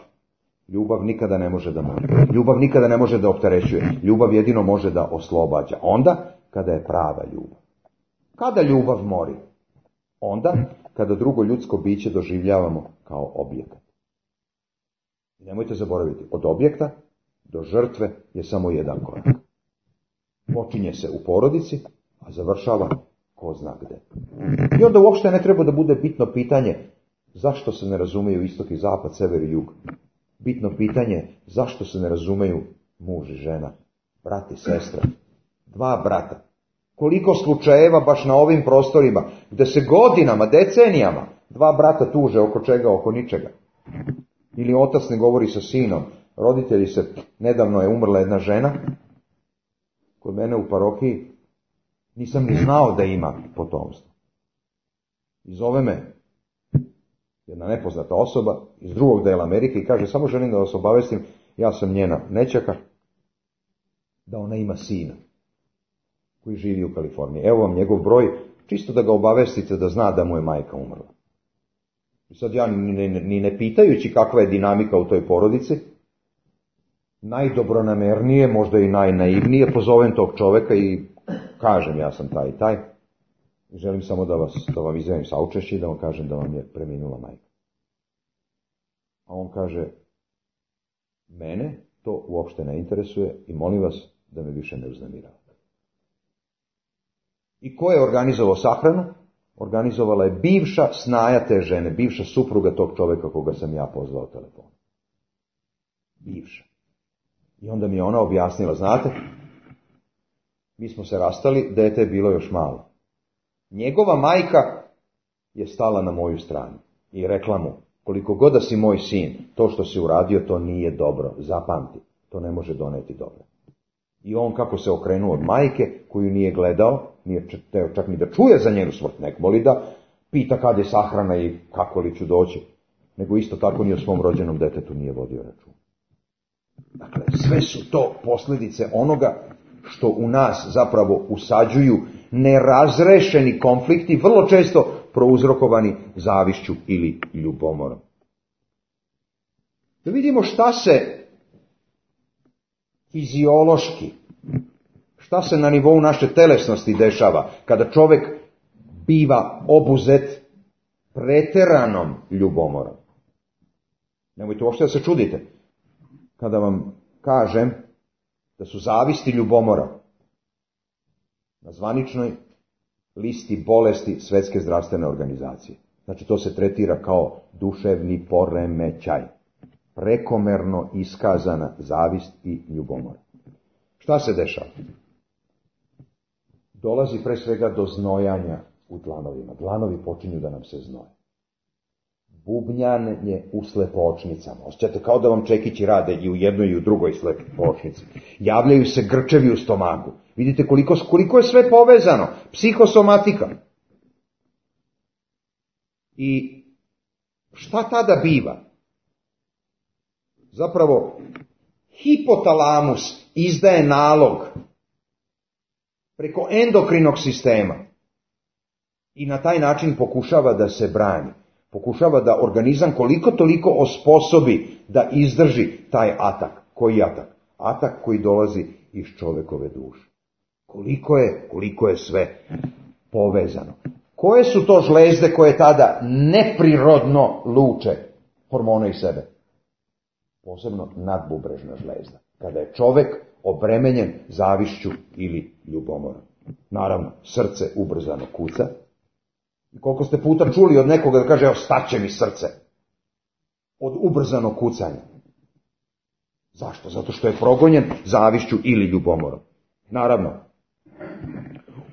Ljubav nikada ne može da mori. Ljubav nikada ne može da opterećuje. Ljubav jedino može da oslobađa. Onda kada je prava ljubav. Kada ljubav mori? Onda kada drugo ljudsko biće doživljavamo kao objekat. I nemojte zaboraviti, od objekta do žrtve je samo jedan korak. Počinje se u porodici, a završava ko zna gde. I onda uopšte ne treba da bude bitno pitanje zašto se ne razumeju istok i zapad, sever i jug. Bitno pitanje zašto se ne razumeju muž i žena, brat i sestra, 2 brata. Koliko slučajeva baš na ovim prostorima, gde se godinama, decenijama, 2 brata tuže oko čega, oko ničega. Ili otac ne govori sa sinom, roditelji se, nedavno je umrla jedna žena, kod mene u parohiji, nisam ni znao da ima potomstvo. I zove me jedna nepoznata osoba iz drugog dela Amerike i kaže, samo želim da vas obavestim, ja sam njena nećaka, da ona ima sina koji živi u Kaliforniji. Evo vam njegov broj, čisto da ga obavestite da zna da mu je majka umrla. I sad ja, ni ne pitajući kakva je dinamika u toj porodici, najdobronamernije, možda i najnaivnije, pozovem tog čoveka i kažem, ja sam taj i taj, i želim samo da vam izjavim saučešće i da vam kažem da vam je preminula majka. A on kaže, mene to uopšte ne interesuje i molim vas da me više ne uznemiravate. I ko je organizovao sahranu? Organizovala je bivša snaja te žene, bivša supruga tog čoveka koga sam ja pozvao telefonom. Bivša. I onda mi je ona objasnila, znate, Mi smo se rastali, dete je bilo još malo. Njegova majka je stala na moju stranu i rekla mu, koliko god da si moj sin, to što si uradio, to nije dobro, zapamti, to ne može doneti dobro. I on kako se okrenuo od majke, koju nije gledao, nije teo čak ni da čuje za njenu smrt, nek voli da pita kad je sahrana i kako li ću doći, nego isto tako ni o svom rođenom detetu nije vodio račun. Dakle, sve su to posljedice onoga što u nas zapravo usađuju nerazrešeni konflikti, vrlo često prouzrokovani zavišću ili ljubomorom. Da vidimo šta se fiziološki, šta se na nivou naše telesnosti dešava kada čovjek biva obuzet preteranom ljubomorom. Nemojte uopšte da se čudite kada vam kažem da su zavisti ljubomora na zvaničnoj listi bolesti Svjetske zdravstvene organizacije. Znači to se tretira kao duševni poremećaj. Prekomerno iskazana zavist i ljubomora. Šta se dešava? Dolazi pre svega do znojanja u dlanovima. Dlanovi počinju da nam se znoje. Bubnjanje u slepočnicama. Osjećate kao da vam čekići rade i u jednoj i u drugoj slepočnici. Javljaju se grčevi u stomaku. Vidite koliko je sve povezano. Psihosomatika. I šta tada biva? Zapravo, hipotalamus izdaje nalog preko endokrinog sistema i na taj način pokušava da se brani. Pokušava da organizam koliko toliko osposobi da izdrži taj atak. Koji atak? Atak koji dolazi iz čovekove duše. Koliko je sve povezano. Koje su to žlezde koje tada neprirodno luče hormone iz sebe? Posebno nadbubrežna žlezda. Kada je čovek obremenjen zavišću ili ljubomorom. Naravno, srce ubrzano kuca. I koliko ste puta čuli od nekoga da kaže, evo staće mi srce. Od ubrzanog kucanja. Zašto? Zato što je progonjen zavišću ili ljubomorom. Naravno,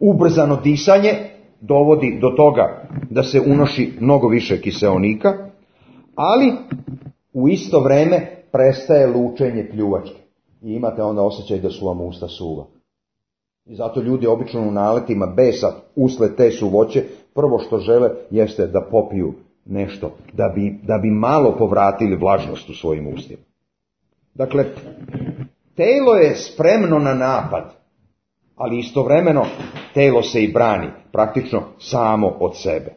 ubrzano disanje dovodi do toga da se unoši mnogo više kiseonika, ali u isto vreme prestaje lučenje pljuvačke. I imate onda osjećaj da su vam usta suva. I zato ljudi obično u naletima besa usled te suvoće, prvo što žele jeste da popiju nešto, da bi malo povratili vlažnost u svojim ustima. Dakle, telo je spremno na napad, ali istovremeno telo se i brani, praktično samo od sebe.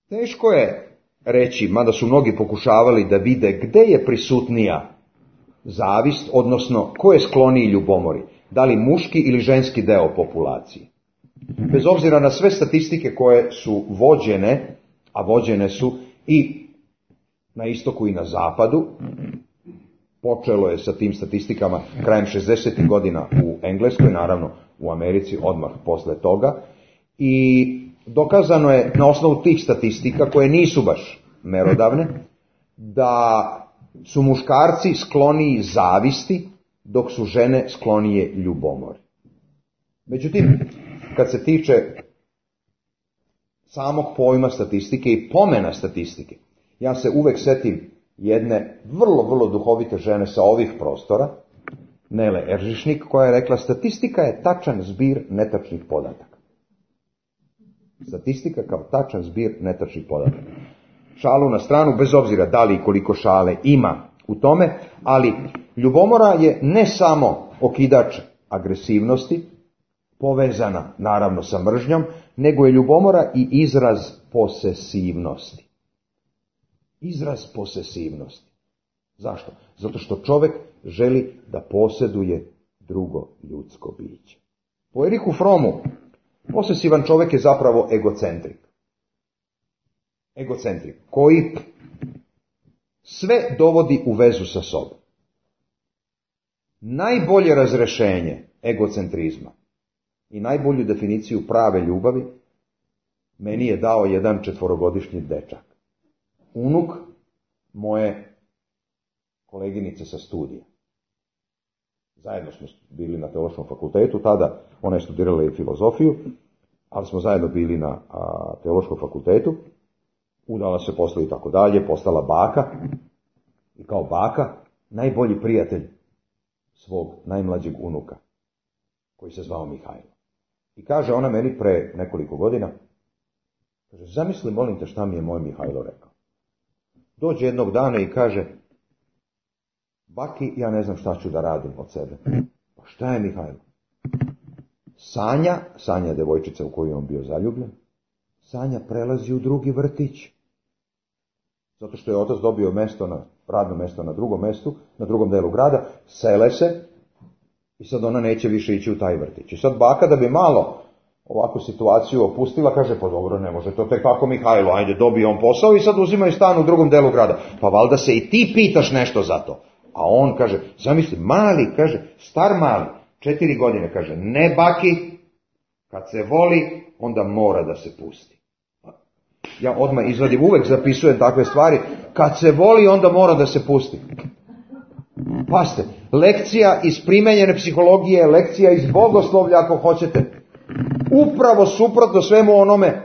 Teško je reći, mada su mnogi pokušavali da vide gde je prisutnija zavist, odnosno ko je skloniji ljubomori, da li muški ili ženski deo populacije. Bez obzira na sve statistike koje su vođene, a vođene su i na istoku i na zapadu, počelo je sa tim statistikama krajem 60. godina u Engleskoj, naravno u Americi odmah posle toga, i dokazano je na osnovu tih statistika, koje nisu baš merodavne, da su muškarci skloniji zavisti, dok su žene sklonije ljubomori. Međutim, kad se tiče samog pojma statistike i pomena statistike, ja se uvek setim jedne vrlo duhovite žene sa ovih prostora, Nele Eržišnik, koja je rekla, statistika je tačan zbir netačnih podataka. Statistika kao tačan zbir netačnih podataka. Šalu na stranu, bez obzira da li i koliko šale ima u tome, ali ljubomora je ne samo okidač agresivnosti, povezana naravno sa mržnjom, nego je ljubomora i izraz posesivnosti. Izraz posesivnosti. Zašto? Zato što čovjek želi da posjeduje drugo ljudsko biće. Po Erichu Frommu, posesivan čovjek je zapravo egocentrik. Egocentrik, koji sve dovodi u vezu sa sobom. Najbolje razrešenje egocentrizma i najbolju definiciju prave ljubavi meni je dao jedan 4-godišnji dečak. Unuk moje koleginice sa studija. zajedno smo bili na teološkom fakultetu tada, ona je studirala i filozofiju, ali smo zajedno bili na teološkom fakultetu, udala se posle i tako dalje, postala baka, i kao baka najbolji prijatelj svog najmlađeg unuka, koji se zvao Mihajlo. I kaže ona meni pre nekoliko godina, kaže, zamisli, molim te, šta mi je moj Mihajlo rekao. Dođe jednog dana i kaže, baki, ja ne znam šta ću da radim od sebe. Pa šta je Mihajlo? Sanja je devojčica u koju je on bio zaljubljen, Sanja prelazi u drugi vrtić. Zato što je otac dobio radno mesto na drugom mestu, na drugom delu grada, sele se i sad ona neće više ići u taj vrtić. I sad baka, da bi malo ovakvu situaciju opustila, kaže, pa dobro, ne može to tek tako Mihajlo, ajde, dobije on posao i sad uzimaju stan u drugom delu grada. Pa valjda se i ti pitaš nešto za to. A on kaže, zamisli, mali, kaže, star mali, 4 godine, kaže, ne baki, kad se voli, onda mora da se pusti. Ja odmah izvadim, uvek zapisujem takve stvari, kad se voli, onda mora da se pusti. Pazite, lekcija iz primenjene psihologije, lekcija iz bogoslovlja, ako hoćete, upravo suprotno svemu onome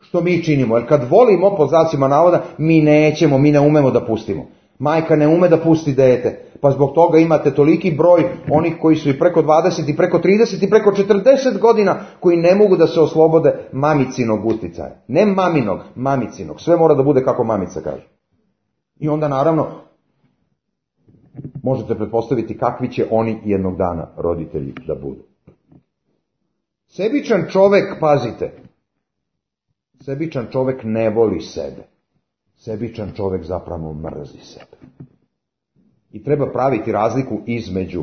što mi činimo. Jer kad volimo, pod znacima navoda, mi ne umemo da pustimo. Majka ne ume da pusti dete, pa zbog toga imate toliki broj onih koji su i preko 20, i preko 30, i preko 40 godina, koji ne mogu da se oslobode mamicinog uticaja. Ne maminog, mamicinog. Sve mora da bude kako mamica kaže. I onda naravno možete pretpostaviti kakvi će oni jednog dana roditelji da budu. Sebičan čovek, pazite, sebičan čovek ne voli sebe. Sebičan čovek zapravo mrzi sebe. I treba praviti razliku između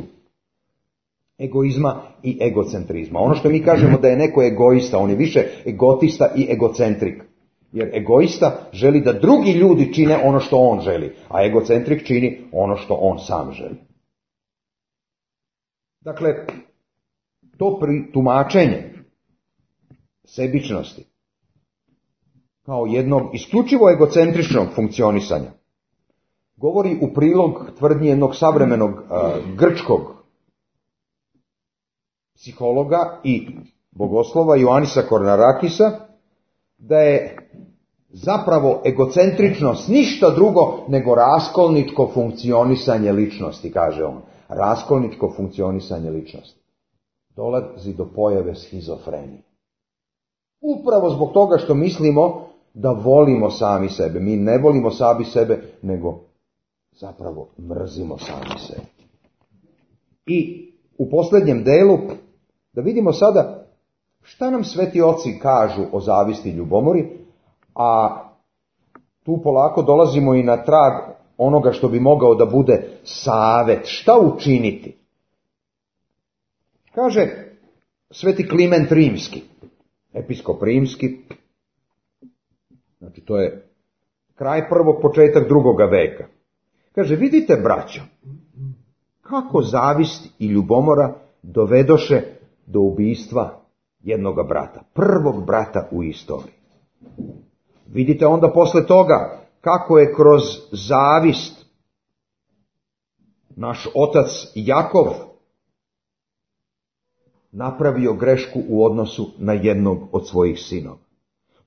egoizma i egocentrizma. Ono što mi kažemo da je neko egoista, on je više egotista i egocentrik. Jer egoista želi da drugi ljudi čine ono što on želi, a egocentrik čini ono što on sam želi. Dakle, to tumačenje sebičnosti kao jednog isključivo egocentričnog funkcionisanja govori u prilog tvrdnji jednog savremenog grčkog psihologa i bogoslova Ioannisa Kornarakisa, da je zapravo egocentričnost ništa drugo nego raskolničko funkcionisanje ličnosti, kaže on. Raskolničko funkcionisanje ličnosti. Dolazi do pojave schizofrenije. Upravo zbog toga što mislimo da volimo sami sebe. Mi ne volimo sami sebe, nego zapravo mrzimo sami sebe. I u posljednjem delu da vidimo sada šta nam sveti oci kažu o zavisti i ljubomori, a tu polako dolazimo i na trag onoga što bi mogao da bude savet. Šta učiniti? Kaže sveti Kliment Rimski, episkop rimski, znači to je kraj prvog, početak drugoga veka. Kaže, vidite, braćo, kako zavist i ljubomora dovedoše do ubistva jednoga brata, prvog brata u istoriji. Vidite onda posle toga kako je kroz zavist naš otac Jakov napravio grešku u odnosu na jednog od svojih sinova.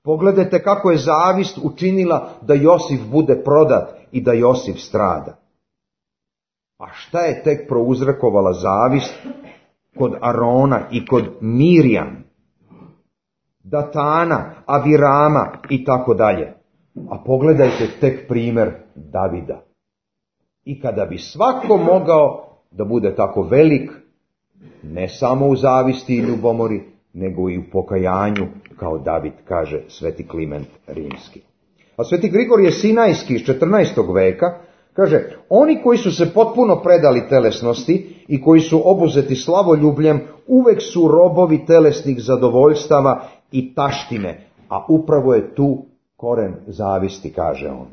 Pogledajte kako je zavist učinila da Josif bude prodat i da Josif strada. A šta je tek prouzrokovala zavist kod Arona i kod Mirjam, Datana, Avirama i tako dalje. A pogledajte tek primer Davida. I kada bi svako mogao da bude tako velik, ne samo u zavisti i ljubomori, nego i u pokajanju, kao David, kaže sveti Kliment Rimski. A sveti Grigorije Sinajski iz 14. veka kaže, oni koji su se potpuno predali telesnosti i koji su obuzeti slavoljubljem, uvek su robovi telesnih zadovoljstava i taštine, a upravo je tu koren zavisti, kaže on.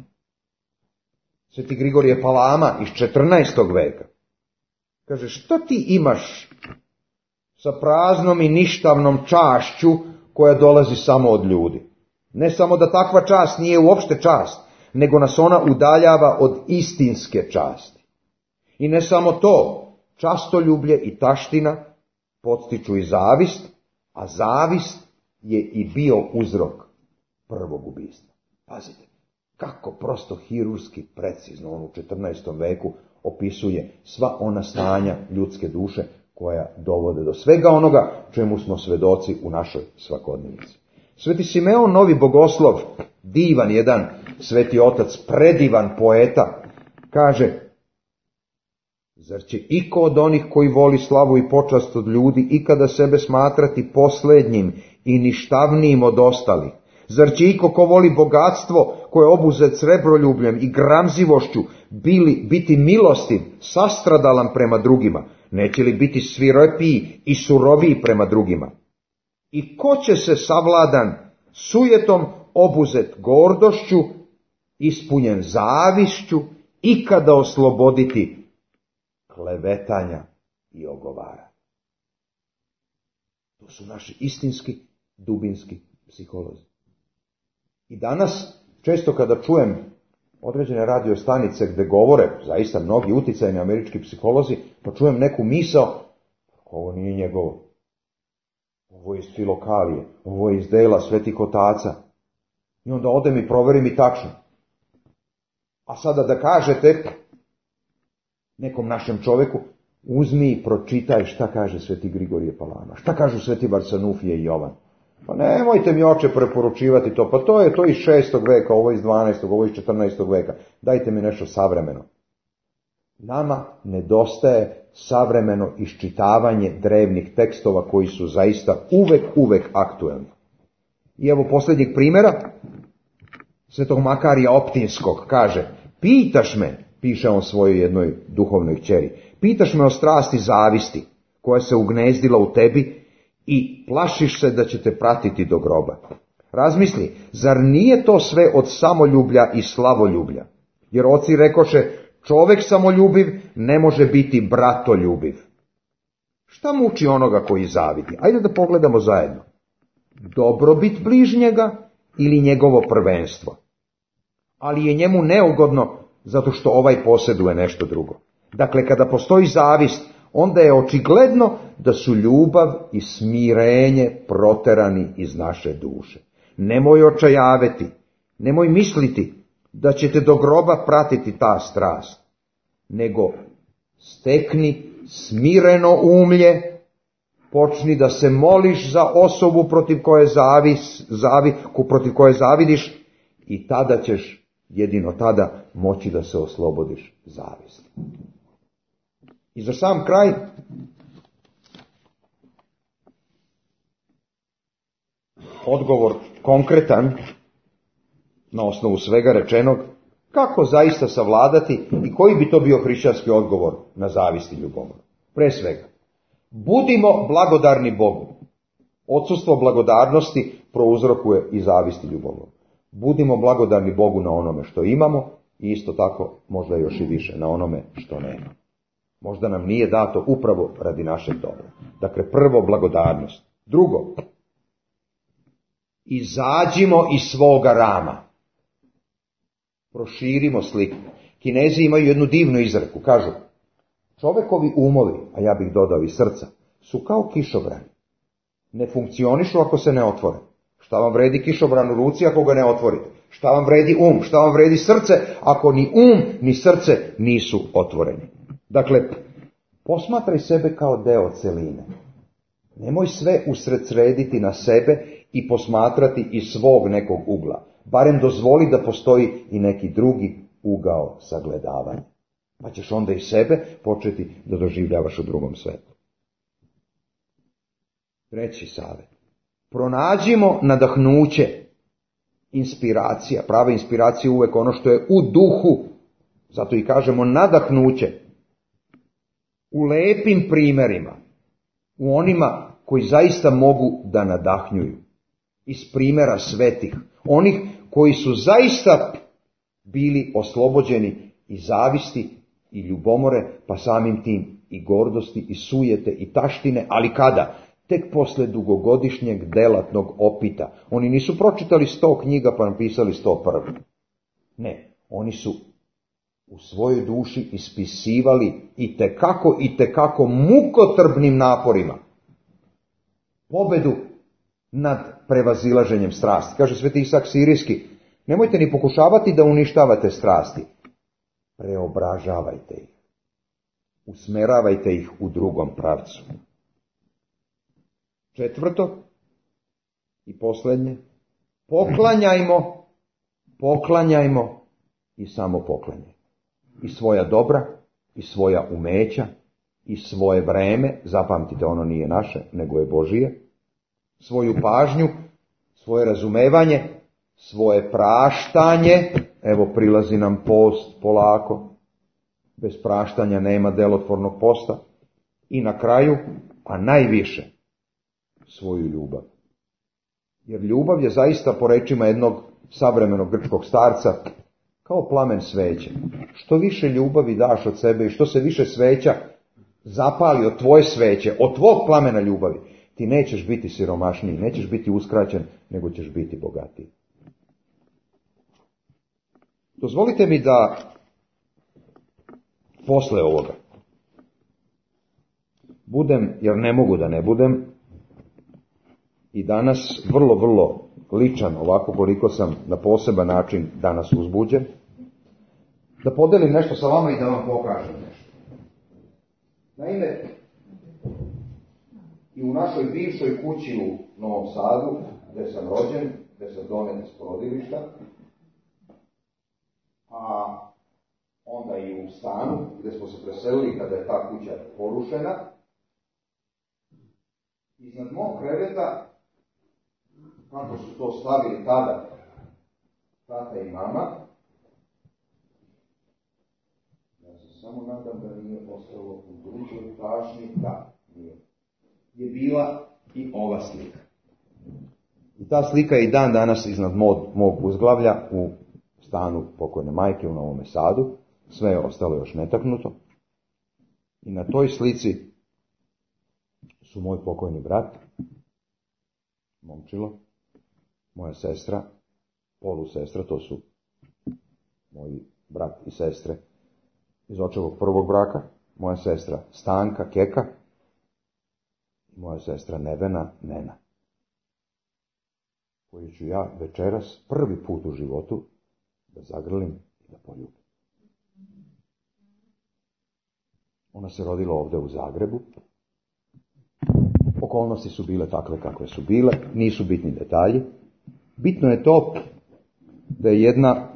Sveti Grigorije Palama iz 14. veka kaže, šta ti imaš sa praznom i ništavnom čašću koja dolazi samo od ljudi? Ne samo da takva čast nije uopšte čast, nego nas ona udaljava od istinske časti. I ne samo to, častoljublje i taština podstiču i zavist, a zavist je i bio uzrok prvog ubistva. Pazite, kako prosto hirurski precizno on u 14. veku opisuje sva ona stanja ljudske duše koja dovode do svega onoga čemu smo svedoci u našoj svakodnevici. Sveti Simeon Novi Bogoslov, divan jedan sveti otac, predivan poeta, kaže: zar će iko od onih koji voli slavu i počast od ljudi ikada sebe smatrati poslednjim i ništavnijim od ostalih? Zar će iko ko voli bogatstvo, koje je obuzet srebroljubljem i gramzivošću, biti milostiv, sastradalan prema drugima? Neće li biti svirepiji i suroviji prema drugima? I ko će se savladan sujetom, obuzet gordošću, ispunjen zavišću, ikada osloboditi klevetanja i ogovara? To su naši istinski, dubinski psiholozi. I danas, često kada čujem određene radio stanice gde govore, zaista mnogi uticajni američki psiholozi, pa čujem neku misao: ovo nije njegovo, ovo je iz Filokalije, ovo je iz dela svetih otaca. I onda odem i proverim i tačno. A sada da kažete nekom našem čoveku: uzmi i pročitaj šta kaže sveti Grigorije Palama, šta kažu sveti Varsanufije i Jovan. Pa nemojte mi, oče, preporučivati to, pa to je iz 6. veka, ovo iz 12., ovo iz 14. veka. Dajte mi nešto savremeno. Nama nedostaje savremeno iščitavanje drevnih tekstova koji su zaista uvek aktuelni. I evo posljednjeg primjera, svetog Makarija Optinskog, kaže: pitaš me, piše on svojoj jednoj duhovnoj kćeri, pitaš me o strasti zavisti koja se ugnezdila u tebi i plašiš se da će te pratiti do groba. Razmisli, zar nije to sve od samoljublja i slavoljublja? Jer oci rekoše: čovek samoljubiv ne može biti bratoljubiv. Šta muči onoga koji zavidi? Ajde da pogledamo zajedno. Dobrobit bližnjega ili njegovo prvenstvo? Ali je njemu neugodno zato što ovaj posjeduje nešto drugo. Dakle, kada postoji zavist, onda je očigledno da su ljubav i smirenje proterani iz naše duše. Nemoj očajaveti, nemoj misliti da ćete do groba pratiti ta strast, nego stekni smireno umlje, počni da se moliš za osobu protiv koje zavidiš i tada ćeš, jedino tada, moći da se oslobodiš zavisti. I za sam kraj, odgovor konkretan na osnovu svega rečenog, kako zaista savladati i koji bi to bio hrišćanski odgovor na zavist i ljubomor. Pre svega, budimo blagodarni Bogu. Odsustvo blagodarnosti prouzrokuje i zavist i ljubomor. Budimo blagodarni Bogu na onome što imamo i isto tako možda još i više na onome što nema. Možda nam nije dato upravo radi našeg dobra. Dakle, prvo, blagodarnost. Drugo, izađimo iz svoga rama. Proširimo sliku. Kinezi imaju jednu divnu izreku. Kažu: čovekovi umovi, a ja bih dodao i srca, su kao kišobrani. Ne funkcionišu ako se ne otvore. Šta vam vredi kišobran u ruci ako ga ne otvorite? Šta vam vredi šta vam vredi srce ako ni ni srce nisu otvoreni? Dakle, posmatraj sebe kao deo celine. Nemoj sve usredsrediti na sebe i posmatrati iz svog nekog ugla. Barem dozvoli da postoji i neki drugi ugao sagledavanja. Pa ćeš onda i sebe početi da doživljavaš u drugom svetu. Treći savjet. Pronađimo nadahnuće, inspiracija. Prava inspiracija je uvek ono što je u duhu. Zato i kažemo nadahnuće. U lepim primjerima. U onima koji zaista mogu da nadahnjuju. Iz primjera svetih. Onih koji su zaista bili oslobođeni i zavisti i ljubomore, pa samim tim i gordosti i sujete i taštine, ali kada? Tek posle dugogodišnjeg delatnog opita. Oni nisu pročitali 100 knjiga pa napisali 101. Ne, oni su u svojoj duši ispisivali i tekako mukotrpnim naporima pobedu nad prevazilaženjem strasti. Kaže sveti Isak Sirijski, nemojte ni pokušavati da uništavate strasti, preobražavajte ih, usmeravajte ih u drugom pravcu. Četvrto i posljednje, poklanjajmo i samo poklanjajmo. I svoja dobra, i svoja umeća, i svoje vreme, zapamtite, ono nije naše, nego je Božije, svoju pažnju, svoje razumevanje, svoje praštanje, evo prilazi nam post polako, bez praštanja nema delotvornog posta, i na kraju, a najviše, svoju ljubav. Jer ljubav je zaista, po rečima jednog savremenog grčkog starca, kao plamen sveće. Što više ljubavi daš od sebe i što se više sveća zapali od tvoje sveće, od tvog plamena ljubavi, ti nećeš biti siromašniji, nećeš biti uskraćen, nego ćeš biti bogatiji. Dozvolite mi da posle ovoga budem, jer ne mogu da ne budem, i danas vrlo ličan, ovako koliko sam na poseban način danas uzbuđen, da podelim nešto sa vama i da vam pokažem nešto. Naime, i u našoj bivšoj kući u Novom Sadu, gdje sam rođen, gdje sam donet iz porodilišta, a onda i u stanu gdje smo se preselili kada je ta kuća porušena, iznad mog kreveta, kako su to slavili tada tata i mama, ja se samo nadam da nije ostalo u drugoj pažnji, da nije, je bila i ova slika. I ta slika je i dan danas iznad mog uzglavlja u stanu pokojne majke u Novome Sadu, sve je ostalo još netaknuto. I na toj slici su moj pokojni brat, momčilo, moja sestra, polusestra, to su moji brat i sestre iz očevog prvog braka, moja sestra Stanka, Keka, i moja sestra Nevena, Nena, koju ću ja večeras prvi put u životu da zagrlim i da poljubim. Ona se rodila ovdje u Zagrebu. Okolnosti su bile takve kakve su bile, nisu bitni detalji. Bitno je to da je jedna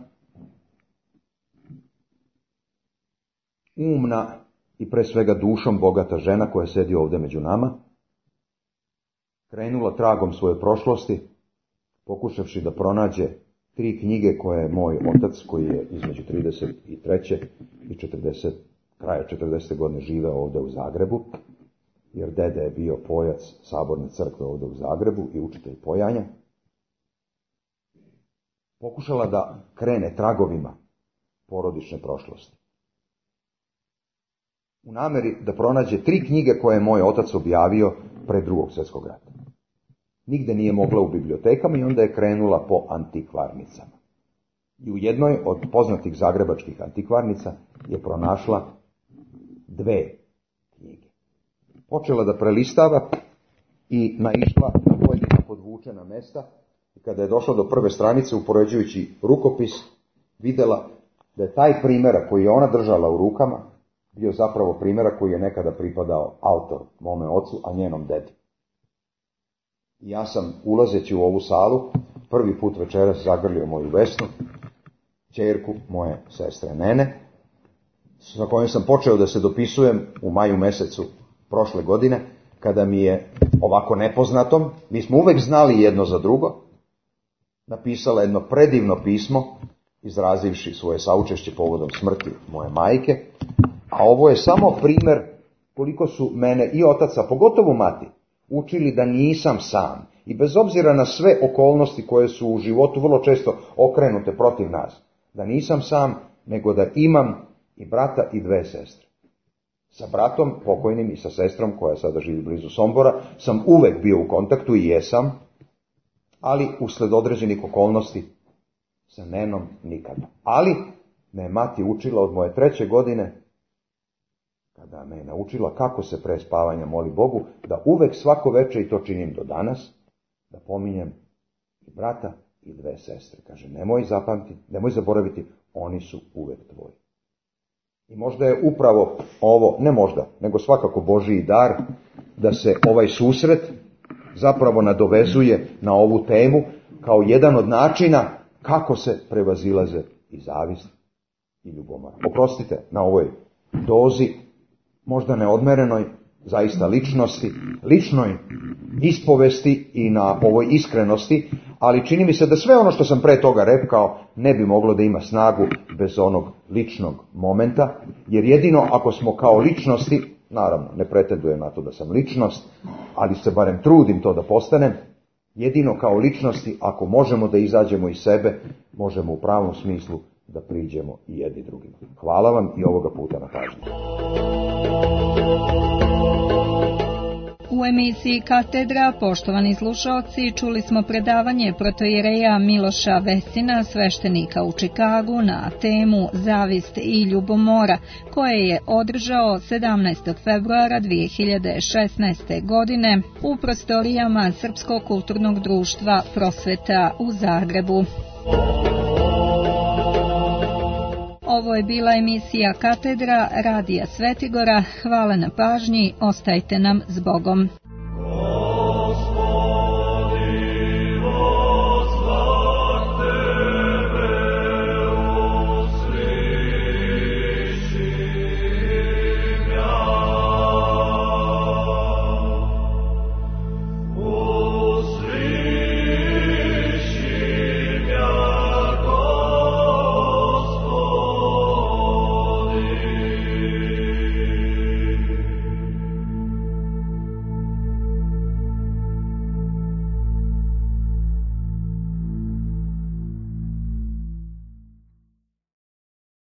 umna i pre svega dušom bogata žena koja sedi ovdje među nama, krenula tragom svoje prošlosti, pokušavši da pronađe 3 knjige koje je moj otac, koji je između 33. i 40, kraja 40. godine živeo ovdje u Zagrebu, jer dede je bio pojac Saborne crkve ovdje u Zagrebu i učitelj pojanja, pokušala da krene tragovima porodične prošlosti. U nameri da pronađe 3 knjige koje je moj otac objavio pre Drugog svjetskog rata. Nigde nije mogla u bibliotekama i onda je krenula po antikvarnicama. I u jednoj od poznatih zagrebačkih antikvarnica je pronašla 2 knjige. Počela da prelistava i naišla na pojedina podvučena mesta. I kada je došla do prve stranice, upoređujući rukopis, vidjela da je taj primjerak koji je ona držala u rukama bio zapravo primjerak koji je nekada pripadao autor, mome ocu, a njenom dedi. I ja sam, ulazeći u ovu salu, prvi put večeras zagrlio moju Vesnu, ćerku moje sestre Nene, sa kojom sam počeo da se dopisujem u maju mesecu prošle godine, kada mi je ovako nepoznatom, mi smo uvek znali jedno za drugo, napisala jedno predivno pismo, izrazivši svoje saučešće povodom smrti moje majke, a ovo je samo primjer koliko su mene i otac, a pogotovo mati, učili da nisam sam. I bez obzira na sve okolnosti koje su u životu vrlo često okrenute protiv nas, da nisam sam, nego da imam i brata i 2 sestre. Sa bratom pokojnim i sa sestrom, koja sada živi blizu Sombora, sam uvek bio u kontaktu i jesam, ali usled određenih okolnosti sa Nenom nikada. Ali Me je mati učila od moje 3. godine, kada me je naučila kako se pre spavanja moli Bogu, da uvek svako veče, i to činim do danas, da pominjem i brata i 2 sestre. Kaže, nemoj zaboraviti, oni su uvek tvoji. I možda je upravo ovo, ne možda, nego svakako Božiji dar, da se ovaj susret zapravo nadovezuje na ovu temu kao jedan od načina kako se prevazilaze i zavist i ljubomora. Oprostite na ovoj dozi, možda neodmerenoj, zaista ličnoj ispovesti i na ovoj iskrenosti, ali čini mi se da sve ono što sam pre toga rekao ne bi moglo da ima snagu bez onog ličnog momenta, jer jedino ako smo kao ličnosti, naravno ne pretendujem na to da sam ličnost, ali se barem trudim to da postanem, jedino kao ličnosti ako možemo da izađemo iz sebe, možemo u pravom smislu da priđemo i jedni drugima. Hvala vam i ovoga puta na pažnju. U emisiji Katedra, poštovani slušalci, čuli smo predavanje protoijereja Miloša Vesina, sveštenika u Čikagu, na temu Zavist i ljubomora, koje je održao 17. februara 2016. godine u prostorijama Srpskog kulturnog društva Prosveta u Zagrebu. Ovo je bila emisija Katedra Radija Svetigora. Hvala na pažnji, ostajte nam s Bogom.